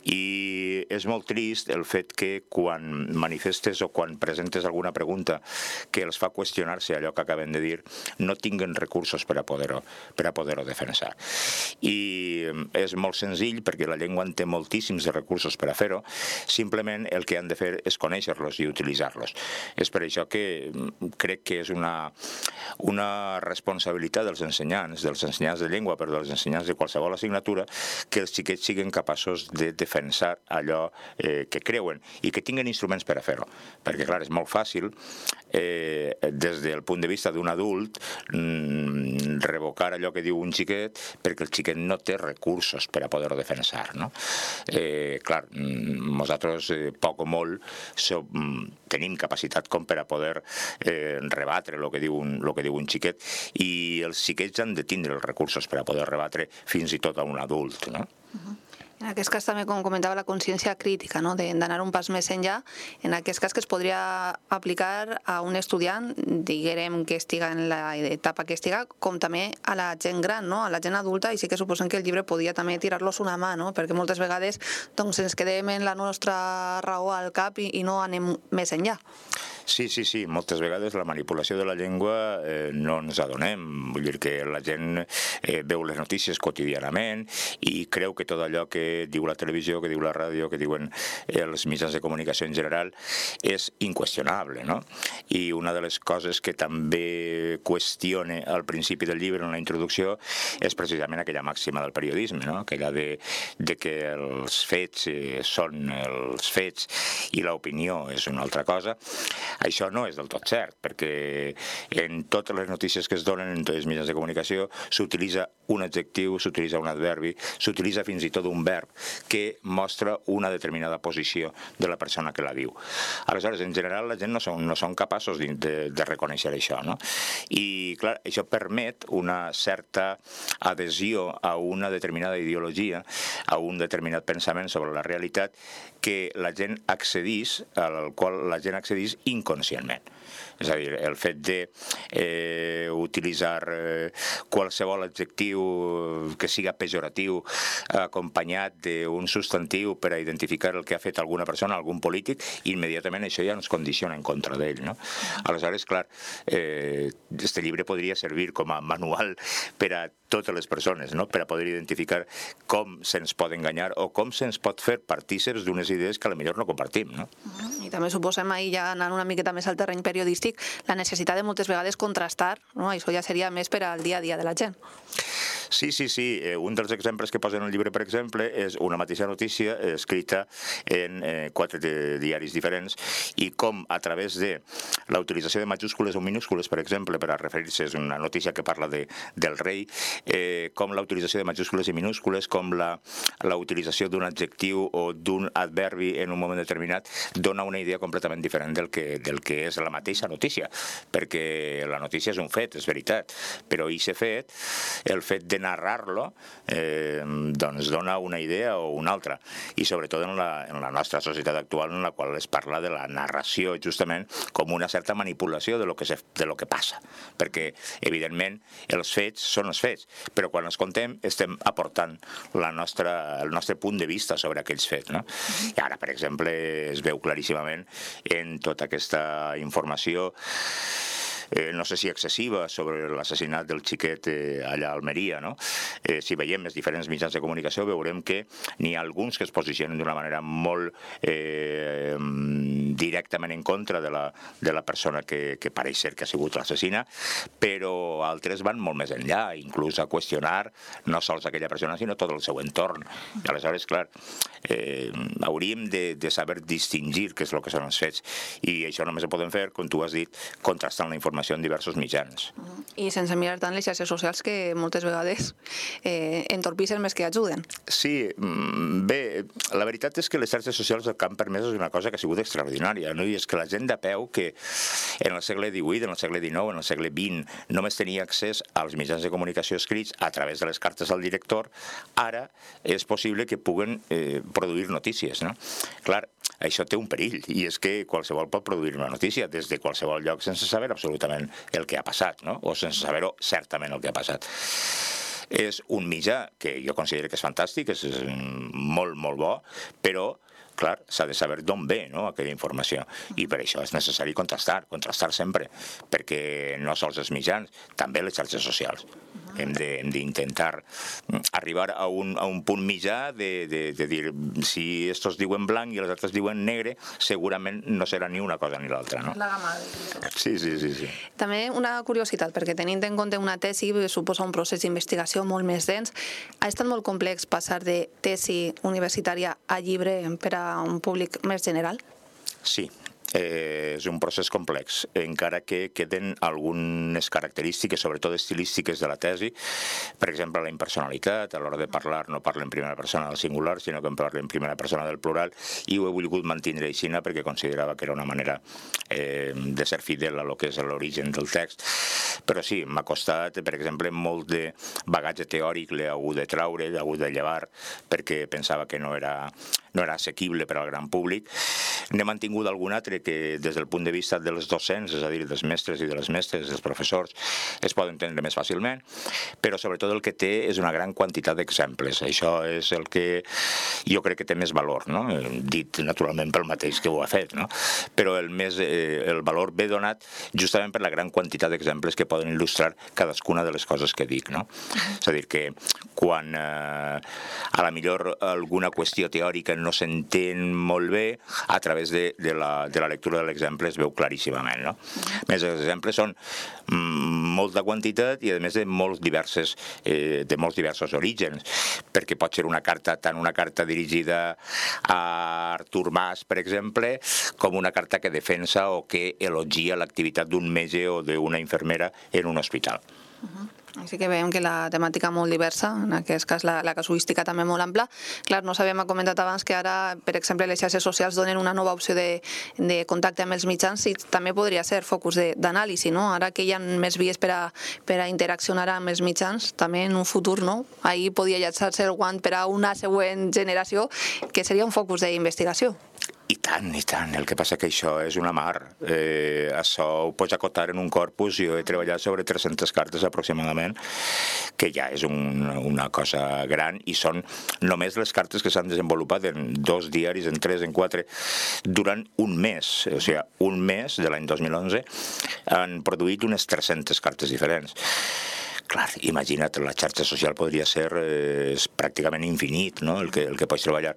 [SPEAKER 9] I és molt trist el fet que quan manifestes o quan presentes alguna pregunta que els fa qüestionar-se allò que acaben de dir, no tinguen recursos per a poder-ho defensar. I és molt senzill perquè la llengua en té moltíssims de recursos per a fer-ho, simplement el que han de fer és conèixer-los i utilitzar-los. És per això que crec que és una responsabilitat dels ensenyants de llengua, però dels ensenyants de qualsevol assignatura, que els xiquets siguin capaços de defensar allò que creuen i que tinguen instruments per a fer-ho. Perquè, clar, és molt fàcil, des del punt de vista d'un adult, revocar allò que diu un xiquet perquè el xiquet no té recursos per a poder-ho defensar, no? Clar, nosaltres, poc o molt, tenim capacitat com per a poder rebatre el que diu un xiquet, i els xiquets han de tindre els recursos per a poder rebatre fins i tot a un adult, no?
[SPEAKER 1] En aquest cas també, com comentava, la consciència crítica, no? D'anar un pas més enllà, en aquest cas que es podria aplicar a un estudiant, diguem que estiga en l'etapa que estiga, com també a la gent gran, no? A la gent adulta, i sí que suposem que el llibre podia també tirar-los una mà, no? Perquè moltes vegades doncs, ens quedem en la nostra raó al cap i no anem més enllà.
[SPEAKER 9] Sí, moltes vegades la manipulació de la llengua no ens adonem, vull dir que la gent veu les notícies quotidianament i creu que tot allò que diu la televisió, que diu la ràdio, que diuen els mitjans de comunicació en general és inqüestionable, no? I una de les coses que també qüestione al principi del llibre, en la introducció, és precisament aquella màxima del periodisme, no? Aquella de que els fets són els fets i l'opinió és una altra cosa. Això no és del tot cert, perquè en totes les notícies que es donen en tots els mitjans de comunicació s'utilitza un adjectiu, s'utilitza un adverbi, s'utilitza fins i tot un verb que mostra una determinada posició de la persona que la diu. Aleshores, en general, la gent no són capaços de reconèixer això, no? I, clar, això permet una certa adhesió a una determinada ideologia, a un determinat pensament sobre la realitat que la gent accedís, al qual la gent accedís inconscientment. És a dir, el fet d'utilitzar qualsevol adjectiu que siga pejoratiu acompanyat d'un substantiu per a identificar el que ha fet alguna persona, algun polític, immediatament això ja ens condiciona en contra d'ell, no? Aleshores, clar, este llibre podria servir com a manual per a totes les persones, no? Per a poder identificar com se'ns pot enganyar o com se'ns pot fer partíceps d'unes idees que potser no compartim, no?
[SPEAKER 1] I també suposem, ahir ja anant una miqueta més al terreny periodístic, la necessitat de moltes vegades contrastar, no? Això ja seria més per al dia a dia de la gent.
[SPEAKER 9] Sí. Un dels exemples que posa en el llibre, per exemple, és una mateixa notícia escrita en 4 diaris diferents i com a través de la utilització de majúscules o minúscules, per exemple, per a referir-se, és una notícia que parla del rei, com la utilització de majúscules i minúscules, com la utilització d'un adjectiu o d'un adverbi en un moment determinat dona una idea completament diferent del que és la mateixa notícia, perquè la notícia és un fet, és veritat, però aquest fet, el fet de narrar-lo, doncs dona una idea o una altra, i sobretot en la nostra societat actual, en la qual es parla de la narració justament com una certa manipulació de lo que passa, perquè evidentment els fets són els fets, però quan els contem estem aportant el nostre punt de vista sobre aquells fets, no? I ara, per exemple, es veu claríssimament en tota aquesta informació no sé si excessiva, sobre l'assassinat del xiquet allà a Almeria, no? Si veiem els diferents mitjans de comunicació veurem que n'hi ha alguns que es posicionen d'una manera molt directament en contra de la persona que pareix ser que ha sigut l'assassina, però altres van molt més enllà, inclús a qüestionar no sols aquella persona, sinó tot el seu entorn. I aleshores, clar, hauríem de saber distingir què és el que són els fets, i això només ho podem fer, com tu has dit, contrastant la informació en diversos mitjans.
[SPEAKER 1] I sense mirar tant les xarxes socials, que moltes vegades entorpissen més que ajuden.
[SPEAKER 9] Sí, bé, la veritat és que les xarxes socials el que han permès és una cosa que ha sigut extraordinària, no? I és que la gent de peu, que en el segle XVIII, en el segle XIX, en el segle XX, només tenia accés als mitjans de comunicació escrits a través de les cartes al director, ara és possible que puguen produir notícies, no? Clar, això té un perill, i és que qualsevol pot produir una notícia des de qualsevol lloc sense saber absolutament el que ha passat, no? O sense saber-ho certament el que ha passat. És un mitjà que jo considero que és fantàstic, és molt, molt bo, però clar, s'ha de saber d'on ve, no, aquella informació, i per això és necessari contrastar sempre, perquè no sols els mitjans, també les xarxes socials. Hem d'intentar arribar a un punt mitjà de dir, si estos diuen blanc i els altres diuen negre, segurament no serà ni una cosa ni l'altra, no?
[SPEAKER 1] La gamma.
[SPEAKER 9] Sí.
[SPEAKER 1] També una curiositat, perquè tenint en compte una tesi suposa un procés d'investigació molt més dens. Ha estat molt complex passar de tesi universitària a llibre per a un públic més general?
[SPEAKER 9] Sí. És un procés complex, encara que queden algunes característiques, sobretot estilístiques de la tesi. Per exemple, la impersonalitat, a l'hora de parlar no parla en primera persona del singular, sinó que parla en primera persona del plural, i ho he volgut mantenir així perquè considerava que era una manera de ser fidel a lo que és l'origen del text. Però sí, m'ha costat, per exemple, molt de bagatge teòric l'he hagut de traure, l'he hagut de llevar, perquè pensava que no era assequible per al gran públic. N'he mantingut algun altre que des del punt de vista dels docents, és a dir, dels mestres i de les mestres, dels professors, es poden entendre més fàcilment, però sobretot el que té és una gran quantitat d'exemples. Això és el que jo crec que té més valor, no? Dit naturalment pel mateix que ho ha fet, no? Però el valor ve donat justament per la gran quantitat d'exemples que poden il·lustrar cadascuna de les coses que dic, no? És a dir, que quan a la millor alguna qüestió teòrica no s'entén molt bé, a través de la lectura de l'exemple es veu claríssimament, no? Més, els exemples són molta quantitat i a més de molts diversos orígens, perquè pot ser una carta, tant una carta dirigida a Artur Mas, per exemple, com una carta que defensa o que elogia l'activitat d'un metge o d'una infermera en un hospital.
[SPEAKER 1] Així que veiem que la temàtica molt diversa, en aquest cas la casuística també molt ampla. Clar, no sabíem, ha comentat abans que ara, per exemple, les xarxes socials donen una nova opció de contacte amb els mitjans i també podria ser focus d'anàlisi, no? Ara que hi ha més vies per a interaccionar amb els mitjans, també en un futur, no? Ahir podia llançar-se el guant per a una següent generació, que seria un focus d'investigació.
[SPEAKER 9] I tant. El que passa que això és una mar. Això ho pots acotar en un corpus. Jo he treballat sobre 300 cartes aproximadament, que ja és una cosa gran, i són només les cartes que s'han desenvolupat en 2 diaris, en 3, en 4, durant un mes. O sigui, un mes de l'any 2011 han produït unes 300 cartes diferents. Clar, imagina't, la xarxa social podria ser pràcticament infinit, no? el que pots treballar.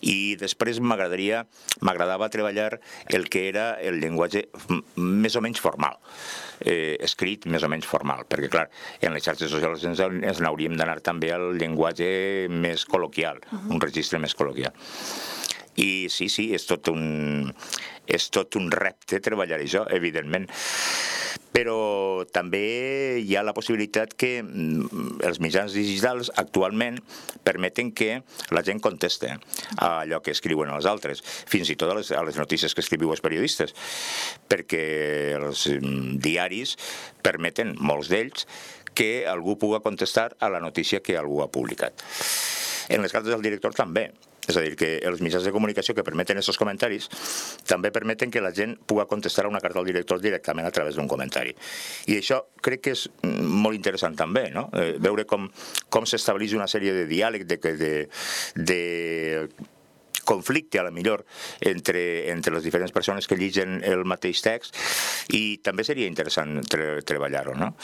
[SPEAKER 9] I després m'agradava treballar el que era el llenguatge més o menys formal, escrit més o menys formal, perquè clar, en les xarxes socials ens n'hauríem d'anar també al llenguatge més col·loquial, un registre més col·loquial. I sí, és tot un repte treballar això, evidentment. Però també hi ha la possibilitat que els mitjans digitals actualment permeten que la gent conteste a allò que escriuen els altres, fins i tot a les notícies que escriviu els periodistes, perquè els diaris permeten, molts d'ells, que algú pugui contestar a la notícia que algú ha publicat. En les cartes del director també. És a dir, que els mitjans de comunicació que permeten aquests comentaris també permeten que la gent pugui contestar a una carta al director directament a través d'un comentari. I això crec que és molt interessant també, no? Veure com s'estableix una sèrie de diàleg, de conflicte, a la millor, entre les diferents persones que lligen el mateix text, i també seria interessant treballar-ho, no?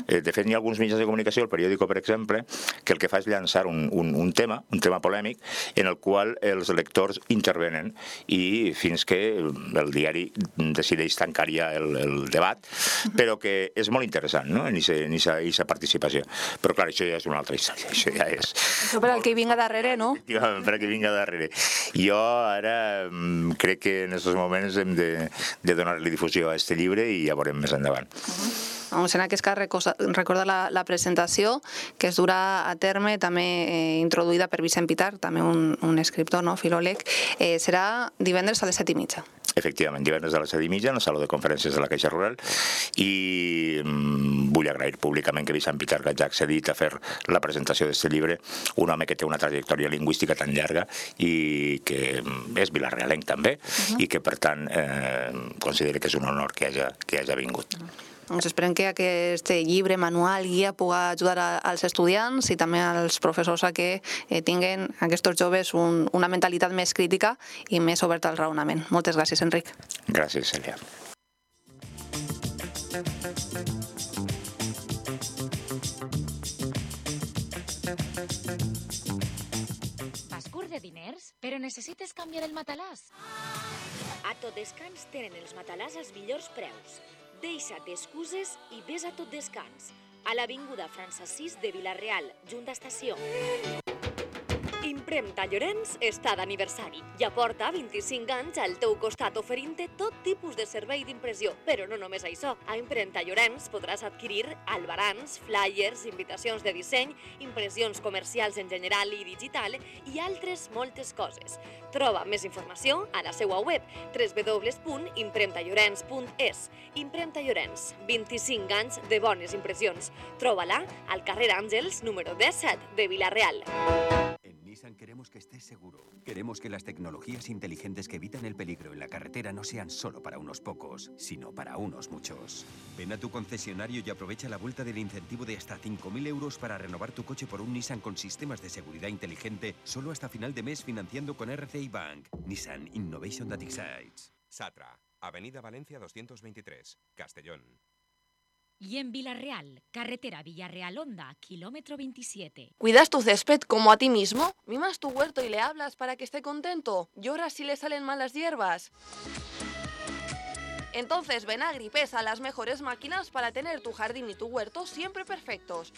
[SPEAKER 9] De fet, hi ha alguns mitjans de comunicació, el periòdico, per exemple, que el que fa és llançar un tema polèmic, en el qual els lectors intervenen i fins que el diari decideix tancar ja el debat, però que és molt interessant, no?, en aquesta participació. Però, clar, això ja és una altra història. Això ja és...
[SPEAKER 1] Això per al que vinga darrere, no?
[SPEAKER 9] Per al que vinga darrere. Jo ara crec que en aquests moments hem de donar-li difusió a aquest llibre i ja veurem més endavant.
[SPEAKER 1] En aquest cas, recorda la presentació que es durà a terme, també introduïda per Vicent Pitar, també un escriptor, filòleg, serà divendres a les 7:30.
[SPEAKER 9] Efectivament, divendres a les 7:30 en el Saló de Conferències de la Caixa Rural, i vull agrair públicament que Vicent Pitar hagi accedit a fer la presentació d'aquest llibre, un home que té una trajectòria lingüística tan llarga i que és vilarealenc també, i que per tant considero que és un honor que hagi vingut.
[SPEAKER 1] Doncs esperem que aquest llibre, manual, guia, pugui ajudar als estudiants i també als professors a que tinguin aquests joves una mentalitat més crítica i més oberta al raonament. Moltes gràcies, Enric.
[SPEAKER 9] Gràcies, Cèlia.
[SPEAKER 3] Vas curt de diners, però necessites canviar el matalàs? A Tot Descans tenen els matalàs als millors preus. Deixa't d'excuses i vés a Tot Descans, a l'avinguda França 6 de Vila-real, junt d'estació. Impremta Llorenç està d'aniversari i aporta 25 anys al teu costat oferint-te tot tipus de servei d'impressió. Però no només això. A Impremta Llorenç podràs adquirir albarans, flyers, invitacions de disseny, impressions comercials en general i digital i altres moltes coses. Troba més informació a la seva web www.impremtallorens.es. Impremta Llorenç, 25 anys de bones impressions. Troba-la al carrer Àngels, número 17 de Vila-real.
[SPEAKER 10] Nissan queremos que estés seguro. Queremos que las tecnologías inteligentes que evitan el peligro en la carretera no sean solo para unos pocos, sino para unos muchos. Ven a tu concesionario y aprovecha la vuelta del incentivo de hasta 5.000 euros para renovar tu coche por un Nissan con sistemas de seguridad inteligente solo hasta final de mes financiando con RCI Bank. Nissan Innovation That Excites.
[SPEAKER 11] Satra, Avenida Valencia 223, Castellón.
[SPEAKER 3] Y en Vila-real, carretera Villarreal-Honda, kilómetro 27.
[SPEAKER 8] ¿Cuidas tu césped como a ti mismo? ¿Mimas tu huerto y le hablas para que esté contento? ¿Lloras si le salen mal las hierbas? Entonces ven a Agripesa, las mejores máquinas para tener tu jardín y tu huerto siempre perfectos.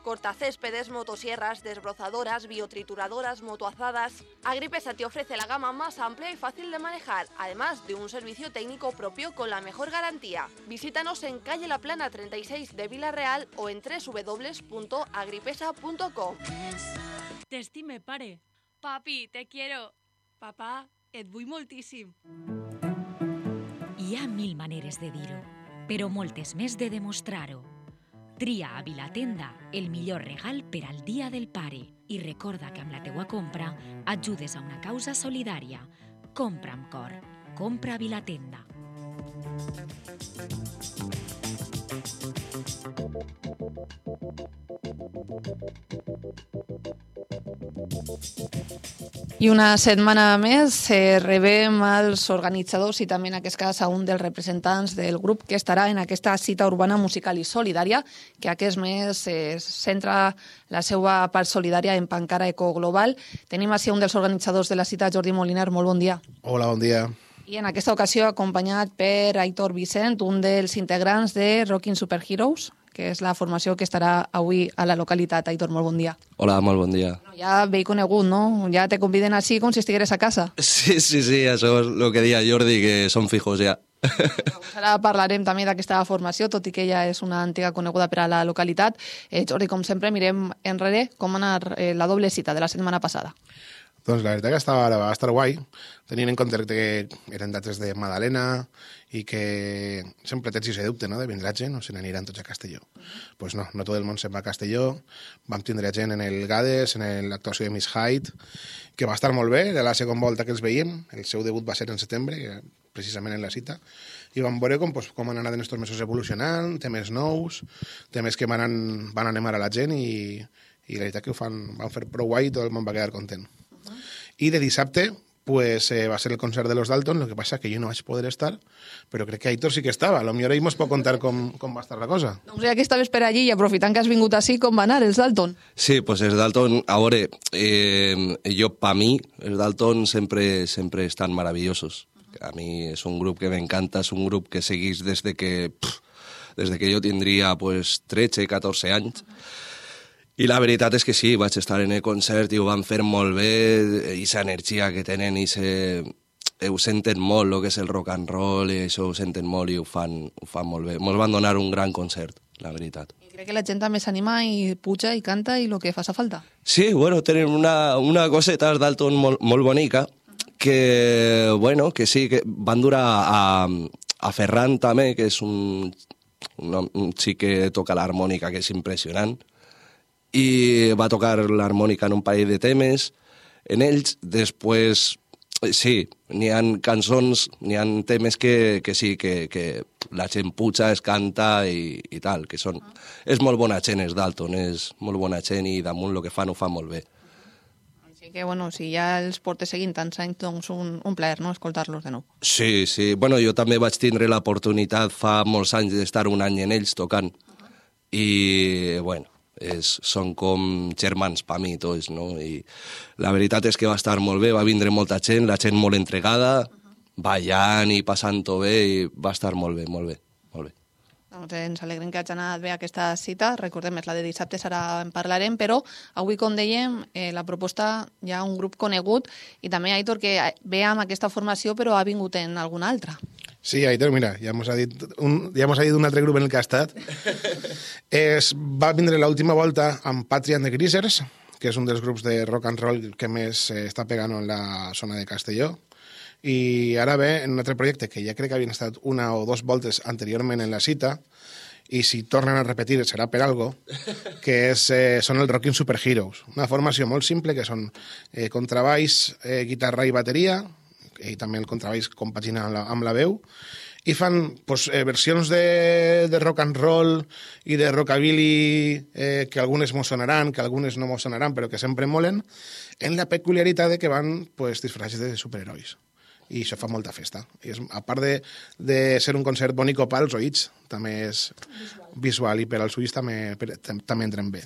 [SPEAKER 8] Cortacéspedes, motosierras, desbrozadoras, biotrituradoras, motoazadas. Agripesa te ofrece la gama más amplia y fácil de manejar, además de un servicio técnico propio con la mejor garantía. Visítanos en calle La Plana 36 de Vila-real o en www.agripesa.com.
[SPEAKER 12] T'estime, pare. Papi, te quiero. Papà, et vull moltíssim.
[SPEAKER 3] Hi ha 1000 maneres de dir-ho, però moltes més de demostrar-ho. Tria a Vilatenda el millor regal per al Dia del Pare i recorda que amb la teua compra ajudes a una causa solidària. Compra amb cor. Compra a Vilatenda.
[SPEAKER 1] I una setmana més rebem als organitzadors i també en aquest cas a un dels representants del grup que estarà en aquesta cita urbana musical i solidària, que aquest mes centra la seva part solidària en Pancara Ecoglobal. Tenim així un dels organitzadors de la cita, Jordi Moliner. Molt bon dia.
[SPEAKER 13] Hola, bon dia.
[SPEAKER 1] I en aquesta ocasió acompanyat per Aitor Vicent, un dels integrants de Rockin' Superheroes, que és la formació que estarà avui a la localitat. Aitor, molt bon dia.
[SPEAKER 14] Hola, molt bon dia.
[SPEAKER 1] Ja veig conegut, no? Ja te conviden així com si estigueres a casa.
[SPEAKER 14] Sí, això és el que deia Jordi, que són fijos ja.
[SPEAKER 1] Ara parlarem també d'aquesta formació, tot i que ella és una antiga coneguda per a la localitat. Jordi, com sempre, mirem enrere com va anar la doble cita de la setmana passada.
[SPEAKER 13] Doncs la veritat que va estar guai, tenint en compte que eren dates de Madalena i que sempre tens aquest dubte, no?, de vindrà gent o se n'aniran tots a Castelló. Pues no tot el món se'n va a Castelló, vam tindre gent en el Gades, en l'actuació de Miss Hyde, que va estar molt bé, era la segona volta que els veiem, el seu debut va ser en setembre, precisament en la cita, i vam veure com han anat en aquests mesos evolucionant, temes nous, temes que van animar a la gent i la veritat que van fer prou guai i tot el món va quedar content. I de dissabte, pues va a ser el concert de los Dalton, lo que pasa que jo no vaig poder estar, però crec que Aitor sí que estava. A lo millor ell mos pot contar com va estar la cosa.
[SPEAKER 1] Doncs ja que estaves per allí i aprofitant que has vingut així, com va anar els Dalton?
[SPEAKER 14] Sí, pues els Dalton, a veure, jo, pa mi, els Dalton sempre estan maravillosos. A mi és un grup que m'encanta, és un grup que seguís des de que jo tindria pues, 13, 14 anys. I la veritat és que sí, vaig estar en el concert i ho van fer molt bé, aquesta energia que tenen, ho senten molt, el que és el rock and roll, i això ho senten molt i ho fan molt bé. Ens van donar un gran concert, la veritat.
[SPEAKER 1] I crec que la gent també s'anima i puja i canta i el que fa falta.
[SPEAKER 14] Sí, bueno, tenen una coseta Dalton molt bonica, que, bueno, que sí, que van durar a Ferran també, que és un xic que toca l'harmònica, que és impressionant, i va tocar l'harmònica en un parell de temes en ells. Després, sí, n'hi ha cançons, n'hi ha temes que sí, que la gent puja, es canta i tal, que són... És molt bona gent, els Dalton, és molt bona gent i damunt el que fan ho fan molt bé.
[SPEAKER 1] Així que, bueno, si ja els portes seguint tants anys, doncs un plaer, no?, escoltar-los de nou.
[SPEAKER 14] Sí, sí. Bueno, jo també vaig tindre l'oportunitat fa molts anys d'estar un any en ells tocant. I, bueno, són com germans per mi tots, no? I la veritat és que va estar molt bé, va vindre molta gent, la gent molt entregada, ballant i passant-ho bé, i va estar molt bé, molt bé, molt bé.
[SPEAKER 1] Doncs ens alegrem que hagi anat bé aquesta cita, recordem, és la de dissabte, ara en parlarem, però avui, com dèiem, la proposta hi ha un grup conegut i també, Aitor, que ve amb aquesta formació però ha vingut en alguna altra.
[SPEAKER 13] Sí, Aitor, mira, ja mos ha dit un altre grup en el que ha estat. Va vindre l'última volta amb Patria and the Greasers, que és un dels grups de rock and roll que més està pegant en la zona de Castelló. I ara ve en un altre projecte que ja crec que havien estat una o dos voltes anteriorment en la cita, i si tornen a repetir serà per algo, que són el Rockin' Superheroes. Una formació molt simple, que són contrabaix, guitarra i bateria, i també el contrabaix compagina amb la veu, i fan versions de rock and roll i de rockabilly que algunes mos sonaran, que algunes no mos sonaran, però que sempre molen, en la peculiaritat de que van disfressats de superherois. I això fa molta festa. I a part de ser un concert bonic pels oïts, també és visual i per als ulls també entren bé.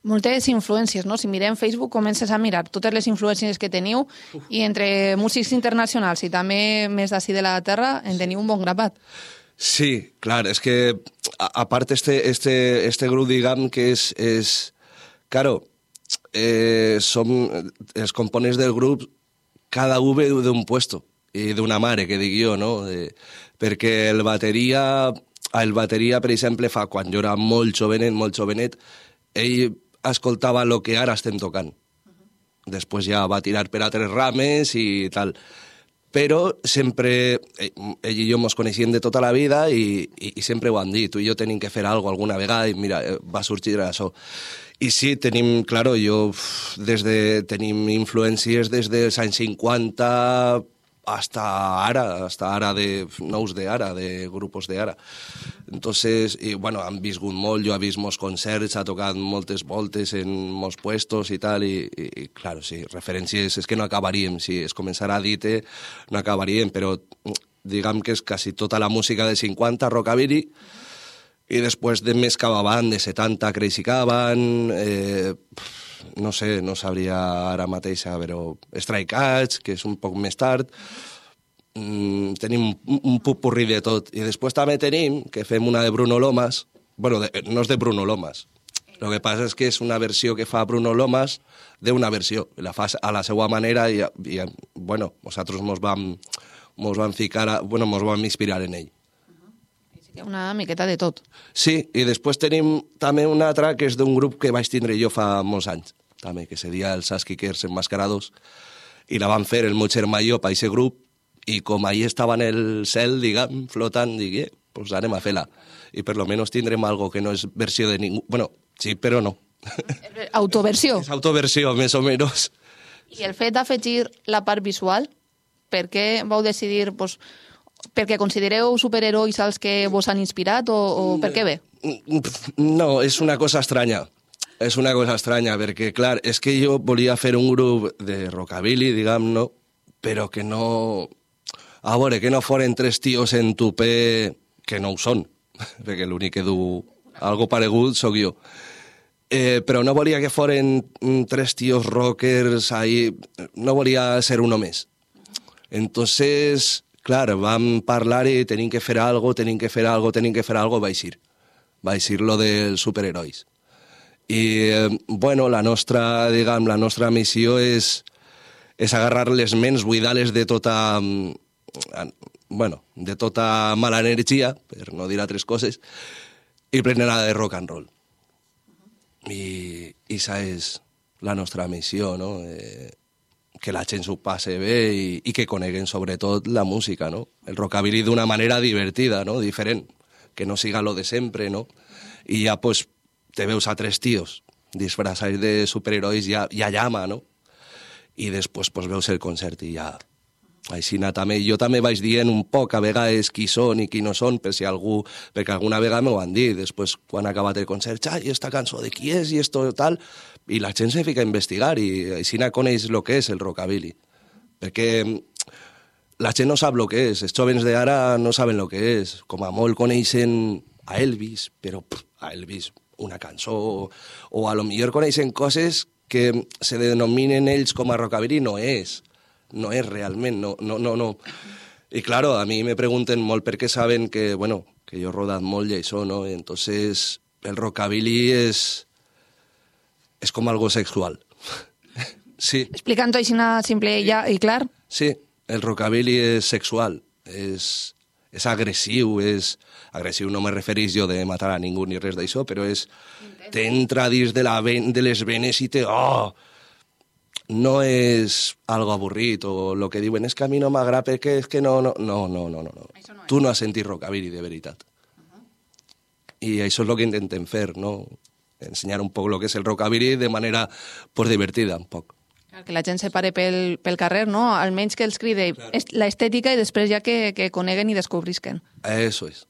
[SPEAKER 1] Moltes influències, no? Si mirem Facebook comences a mirar totes les influències que teniu i entre músics internacionals i també més d'ací de la terra en teniu un bon grapat.
[SPEAKER 14] Sí, clar, és que a part este grup, diguem, que és claro, som els components del grup, cada un ve d'un puesto i d'una mare, que dic jo, no? Perquè el bateria, per exemple, quan jo era molt jovenet, ell escoltava el que ara estem tocant. Després ja va tirar per altres rames i tal. Però sempre, ell i jo ens coneixíem de tota la vida i sempre ho han dit, tu i jo tenim que fer alguna vegada i mira, va sorgir això. I sí, tenim, claro, tenim influències des dels anys 50 hasta ara, de nous d'ara, de grupos d'ara. Entonces, y bueno, han viscut molt, jo he vist molts concerts, ha tocat moltes voltes en molts puestos i tal, i claro, sí, referències, és que no acabaríem, si es començarà a dir no acabaríem, però diguem que és quasi tota la música de 50, rockabilly, i després de més cap avant, de 70, Crazy Cavan, no sé, no sabria ara mateix, però Stray Cats, que és un poc més tard, tenim un popurrí de tot. I després també tenim, que fem una de Bruno Lomas, bueno, no és de Bruno Lomas, el que passa és que és una versió que fa Bruno Lomas d'una versió, la fa a la seva manera i bueno, nosaltres mos vam inspirar en ell.
[SPEAKER 1] Una miqueta de tot.
[SPEAKER 14] Sí, i després tenim també una altra que és d'un grup que vaig tindre jo fa molts anys, també, que se deia els Saskickers Enmascarados, i la van fer el meu germà i jo per aquest grup, i com ahí estava en el cel, diguem, flotant, dic, pues anem a fer-la. I per lo menos tindrem algo que no és versió de ningú... Bueno, sí, però no.
[SPEAKER 1] Autoversió.
[SPEAKER 14] És autoversió, més o menys.
[SPEAKER 1] I el fet d'afegir la part visual, per què vau decidir... perquè considereu superherois els que vos han inspirat o per què bé?
[SPEAKER 14] No, és una cosa estranya. És una cosa estranya, perquè, clar, és que jo volia fer un grup de rockabilly, diguem, no? però que no... A veure, que no foren 3 tios en tupé, que no ho són, perquè l'únic que du algo paregut sóc jo. Però no volia que foren 3 tios rockers ahí, no volia ser uno més. Entonces, clar, vam parlar i tenim que fer algo, vaig ir lo dels superherois. I, bueno, la nostra missió és agarrar les ments, buidar-les de tota... de tota mala energia, per no dir altres coses, i prendre-la de rock and roll. I esa és la nostra missió, no? Que la gent s'ho passe bé i que coneguen sobretot la música, no? El rockabilly d'una manera divertida, no? Diferent, que no siga lo de sempre, no? I ja, pues, te veus a 3 tios disfraçats de superherois ja llama, no? I després, pues, veus el concert i ja... Aixina també, jo també vaig dient un poc a vegades qui són i qui no són, perquè alguna vegada m'ho van dir, després quan ha acabat el concert, i esta cançó de qui és i esto tal, i la gent se fica a investigar i aixina coneix el que és el rockabilly, perquè la gent no sap el que és, els jóvens d'ara no saben el que és, com a molt coneixen a Elvis, però a Elvis una cançó, o a lo millor coneixen coses que se denominen ells com a rockabilly, no és realment, no. I claro, a mi me pregunten molt perquè saben que, bueno, que jo he rodat molt i això, no? Y entonces el rockabilly és com algo sexual. Sí.
[SPEAKER 1] Explicant-ho així simple i clar.
[SPEAKER 14] Sí, el rockabilly és sexual, és agressiu, agressiu no me referís jo de matar a ningú ni res d'això, però t'entra dins de les venes i no és algo avorrit o el que diuen és que a mi no m'agrada perquè és que no. Tu no has sentit rockabilly de veritat. I això és el que intentem fer, no? Ensenyar un poc el que és el rockabilly de manera divertida, un poc.
[SPEAKER 1] Que la gent se pare pel carrer, no? Almenys que els cride l'estètica i després ja que coneguen i descobrisquen.
[SPEAKER 14] Eso es.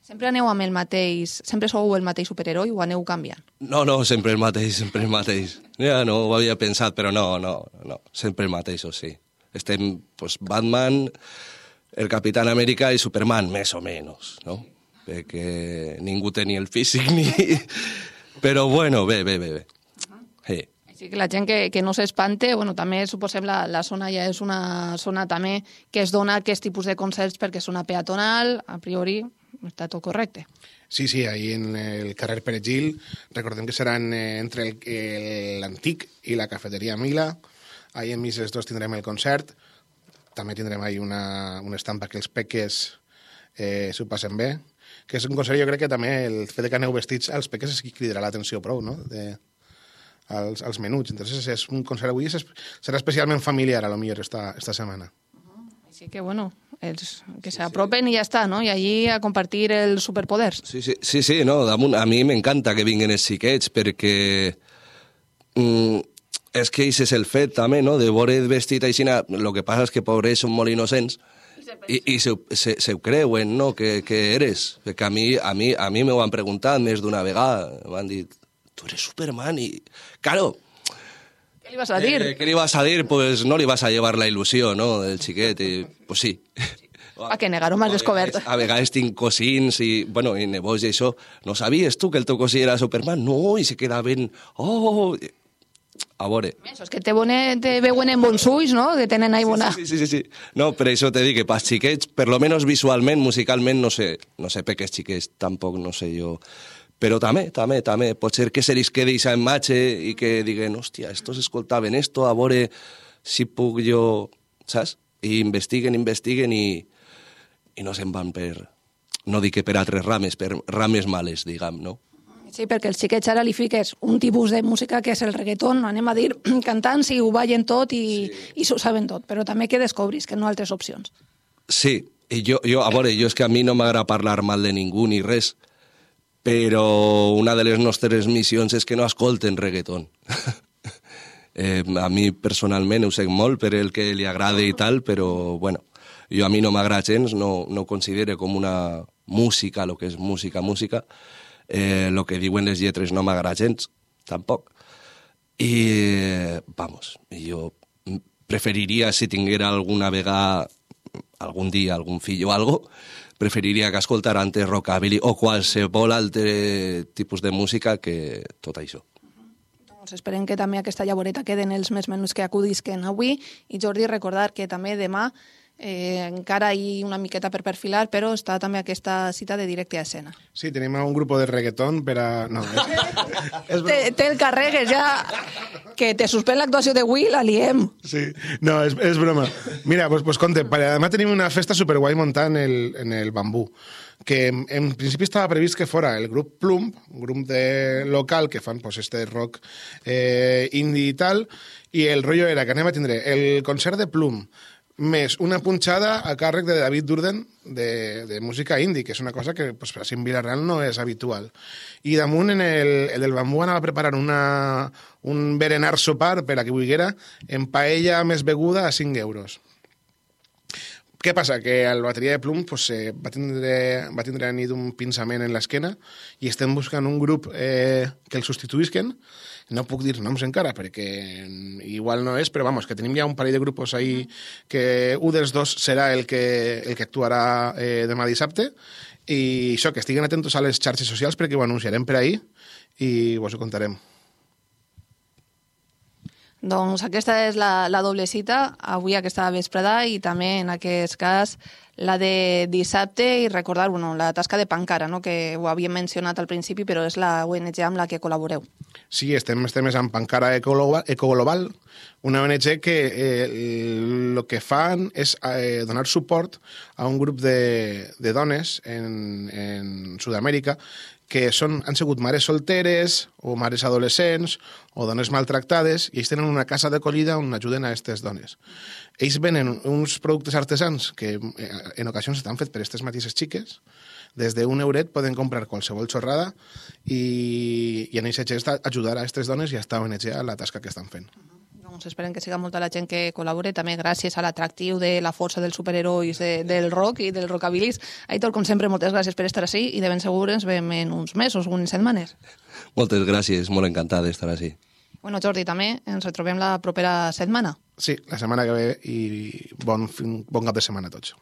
[SPEAKER 1] Sempre aneu amb el mateix... Sempre sou el mateix superheroi o aneu canviant?
[SPEAKER 14] No, sempre el mateix. Ja no ho havia pensat, però no. Sempre el mateix, sí. Estem, pues, Batman, el Capitán Amèrica i Superman, més o menys, no? Perquè ningú tenia el físic ni... Però bueno, bé. Sí.
[SPEAKER 1] Així que la gent que no s'espante, bueno, també suposem la zona ja és una zona també que es dona aquest tipus de concerts perquè és una peatonal, a priori està tot correcte.
[SPEAKER 13] Sí, ahí en el carrer Pere Gil, recordem que seran entre l'Antic i la cafeteria Mila, ahí en Mises 2 tindrem el concert, també tindrem ahí una estampa que els peques s'ho passen bé, que és un concert, jo crec que també el fet que aneu vestits als peques és qui cridarà l'atenció prou, no?, als menuts. Entonces és un concert avui, serà especialment familiar a lo millor esta setmana.
[SPEAKER 1] Així que, bueno, que s'apropen i ja està, no? I allí a compartir els superpoders.
[SPEAKER 14] Sí, no, a mi m'encanta que vinguin els xiquets perquè és que això és el fet també, no?, de veure vestit així. El que passa és que pobres són molt innocents i se ho creuen, no?, que eres. Perquè a mi m'ho han preguntat més d'una vegada. M'han dit, tu eres Superman i... Claro,
[SPEAKER 1] ¿qué le ibas a decir?
[SPEAKER 14] ¿Qué le ibas a decir? Pues no le ibas a llevar la il·lusió, no?, del xiquet, i pues sí.
[SPEAKER 1] A que negar-ho m'has descobert.
[SPEAKER 14] A vegades tinc cosins i nebós i això. No sabies tu que el teu cosí era Superman? No, i se quedaven... Oh... A veure...
[SPEAKER 1] És que te veuen en bons ulls, no?, que tenen ahí bona...
[SPEAKER 14] Sí. No, per això te dic que pels xiquets, per lo menos visualment, musicalment, no sé per què els xiquets, tampoc no sé jo... Però també, pot ser que se li quedi aquesta imatge i que diguen, hòstia, estos escoltaven esto, a veure si puc jo, saps? I investiguen i no se'n van per, no dic que per altres rames, per rames males, diguem, no?
[SPEAKER 1] Sí, perquè els xiquets ara li fiques un tipus de música que és el reggaeton, anem a dir, cantant, si ho ballen tot i s'ho saben tot, però també que descobris que no hi ha altres opcions.
[SPEAKER 14] Sí, i jo és que a mi no m'agrada parlar mal de ningú ni res, però una de les nostres missions és que no escolten reggaeton. A mi personalment ho sé molt per el que li agrada i tal, però bueno, a mi no m'agrada gens, no ho considero com una música, el que és música. El que diuen les lletres no m'agrada gens, tampoc. I, vamos, jo preferiria, si tinguera alguna vegada, algun dia, algun fill o algo, preferiria que escoltar antes rockabilly o qualsevol altre tipus de música que tot això.
[SPEAKER 1] Doncs esperem que també aquesta llavoreta queden els més menús que acudisquen avui. I Jordi, recordar que també demà encara hi una miqueta per perfilar, però està també aquesta cita de directe a escena.
[SPEAKER 13] Sí, tenim un grup de reggaeton per a... No,
[SPEAKER 1] Te'l carregues ja, que te suspèn l'actuació d'avui, la liem.
[SPEAKER 13] Sí, no, és broma. Mira, pues compte, demà tenim una festa superguai muntada en el Bambú, que en principi estava previst que fora el grup Plum, un grup local que fan pues, este rock indie i tal, i el rotllo era que anem a tindre el concert de Plum, més una punxada a càrrec de David Durden de música indie, que és una cosa que pues, en Vila-real no és habitual. I damunt, el del Bambú anava a preparar un berenar sopar per a qui vulguera en paella més beguda a 5 euros. Què passa? Que el bateria de Plum pues, va tindre a nit un pinçament en l'esquena i estem buscant un grup que el substituïsquen. No puc dir noms encara, perquè igual no és, però vamos, que tenim ja un parell de grupos ahí que un dels dos serà el que actuarà demà dissabte, i això, que estiguen atentos a les xarxes socials perquè ho anunciarem per ahí i us ho contarem.
[SPEAKER 1] Doncs aquesta és la doble cita, avui aquesta vesprada i també en aquest cas la de dissabte i recordar la tasca de Pancara, no? Que ho havíem mencionat al principi, però és la ONG amb la que col·laboreu.
[SPEAKER 13] Sí, estem amb Pancara Ecoglobal, una ONG que el que fan és donar suport a un grup de dones en Sud-amèrica que han sigut mares solteres o mares adolescents o dones maltractades i ells tenen una casa d'acollida on ajuden a aquestes dones. Ells venen uns productes artesans que en ocasions estan fets per aquestes mateixes xiques. Des d'un euret poden comprar qualsevol xorrada i en aquest gest ajudar a aquestes dones i a esta ONG a la tasca que estan fent.
[SPEAKER 1] Doncs esperem que siga molta la gent que col·labore, també gràcies a l'atractiu de la força dels superherois del rock i del rockabilis. Aitor, com sempre, moltes gràcies per estar així i de ben segur ens veiem en uns mesos, unes setmanes.
[SPEAKER 14] Moltes gràcies, molt encantat d'estar així.
[SPEAKER 1] Bueno, Jordi, també ens retrobem la propera setmana.
[SPEAKER 13] Sí, la setmana que ve i bon cap de setmana a tots.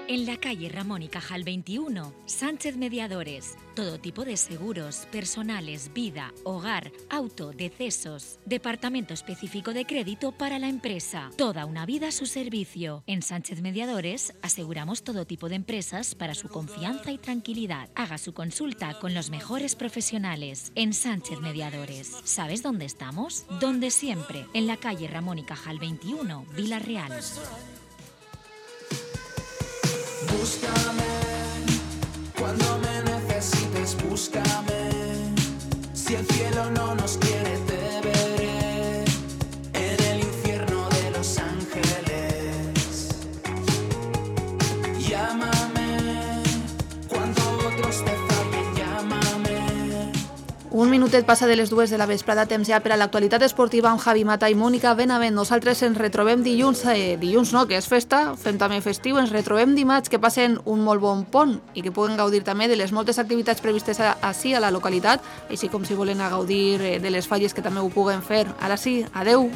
[SPEAKER 3] En la calle Ramón y Cajal 21, Sánchez Mediadores. Todo tipo de seguros, personales, vida, hogar, auto, decesos. Departamento específico de crédito para la empresa. Toda una vida a su servicio. En Sánchez Mediadores aseguramos todo tipo de empresas para su confianza y tranquilidad. Haga su consulta con los mejores profesionales. En Sánchez Mediadores. ¿Sabes dónde estamos? Donde siempre. En la calle Ramón y Cajal 21, Vila-real.
[SPEAKER 15] Búscame, cuando me necesites, búscame. Si el cielo no nos quiere, te veré en el infierno de Los Ángeles. Llámame, cuando otros te fallen, llámame.
[SPEAKER 1] Un minutet passa de les 2 de la vesprada, temps ja per a l'actualitat esportiva amb Javi Mata i Mònica Benavent. Nosaltres ens retrobem dilluns no, que és festa, fem també festiu, ens retrobem dimarts, que passen un molt bon pont i que puguen gaudir també de les moltes activitats previstes així a la localitat, així com si volen gaudir de les falles que també ho puguen fer. Ara sí, adeu!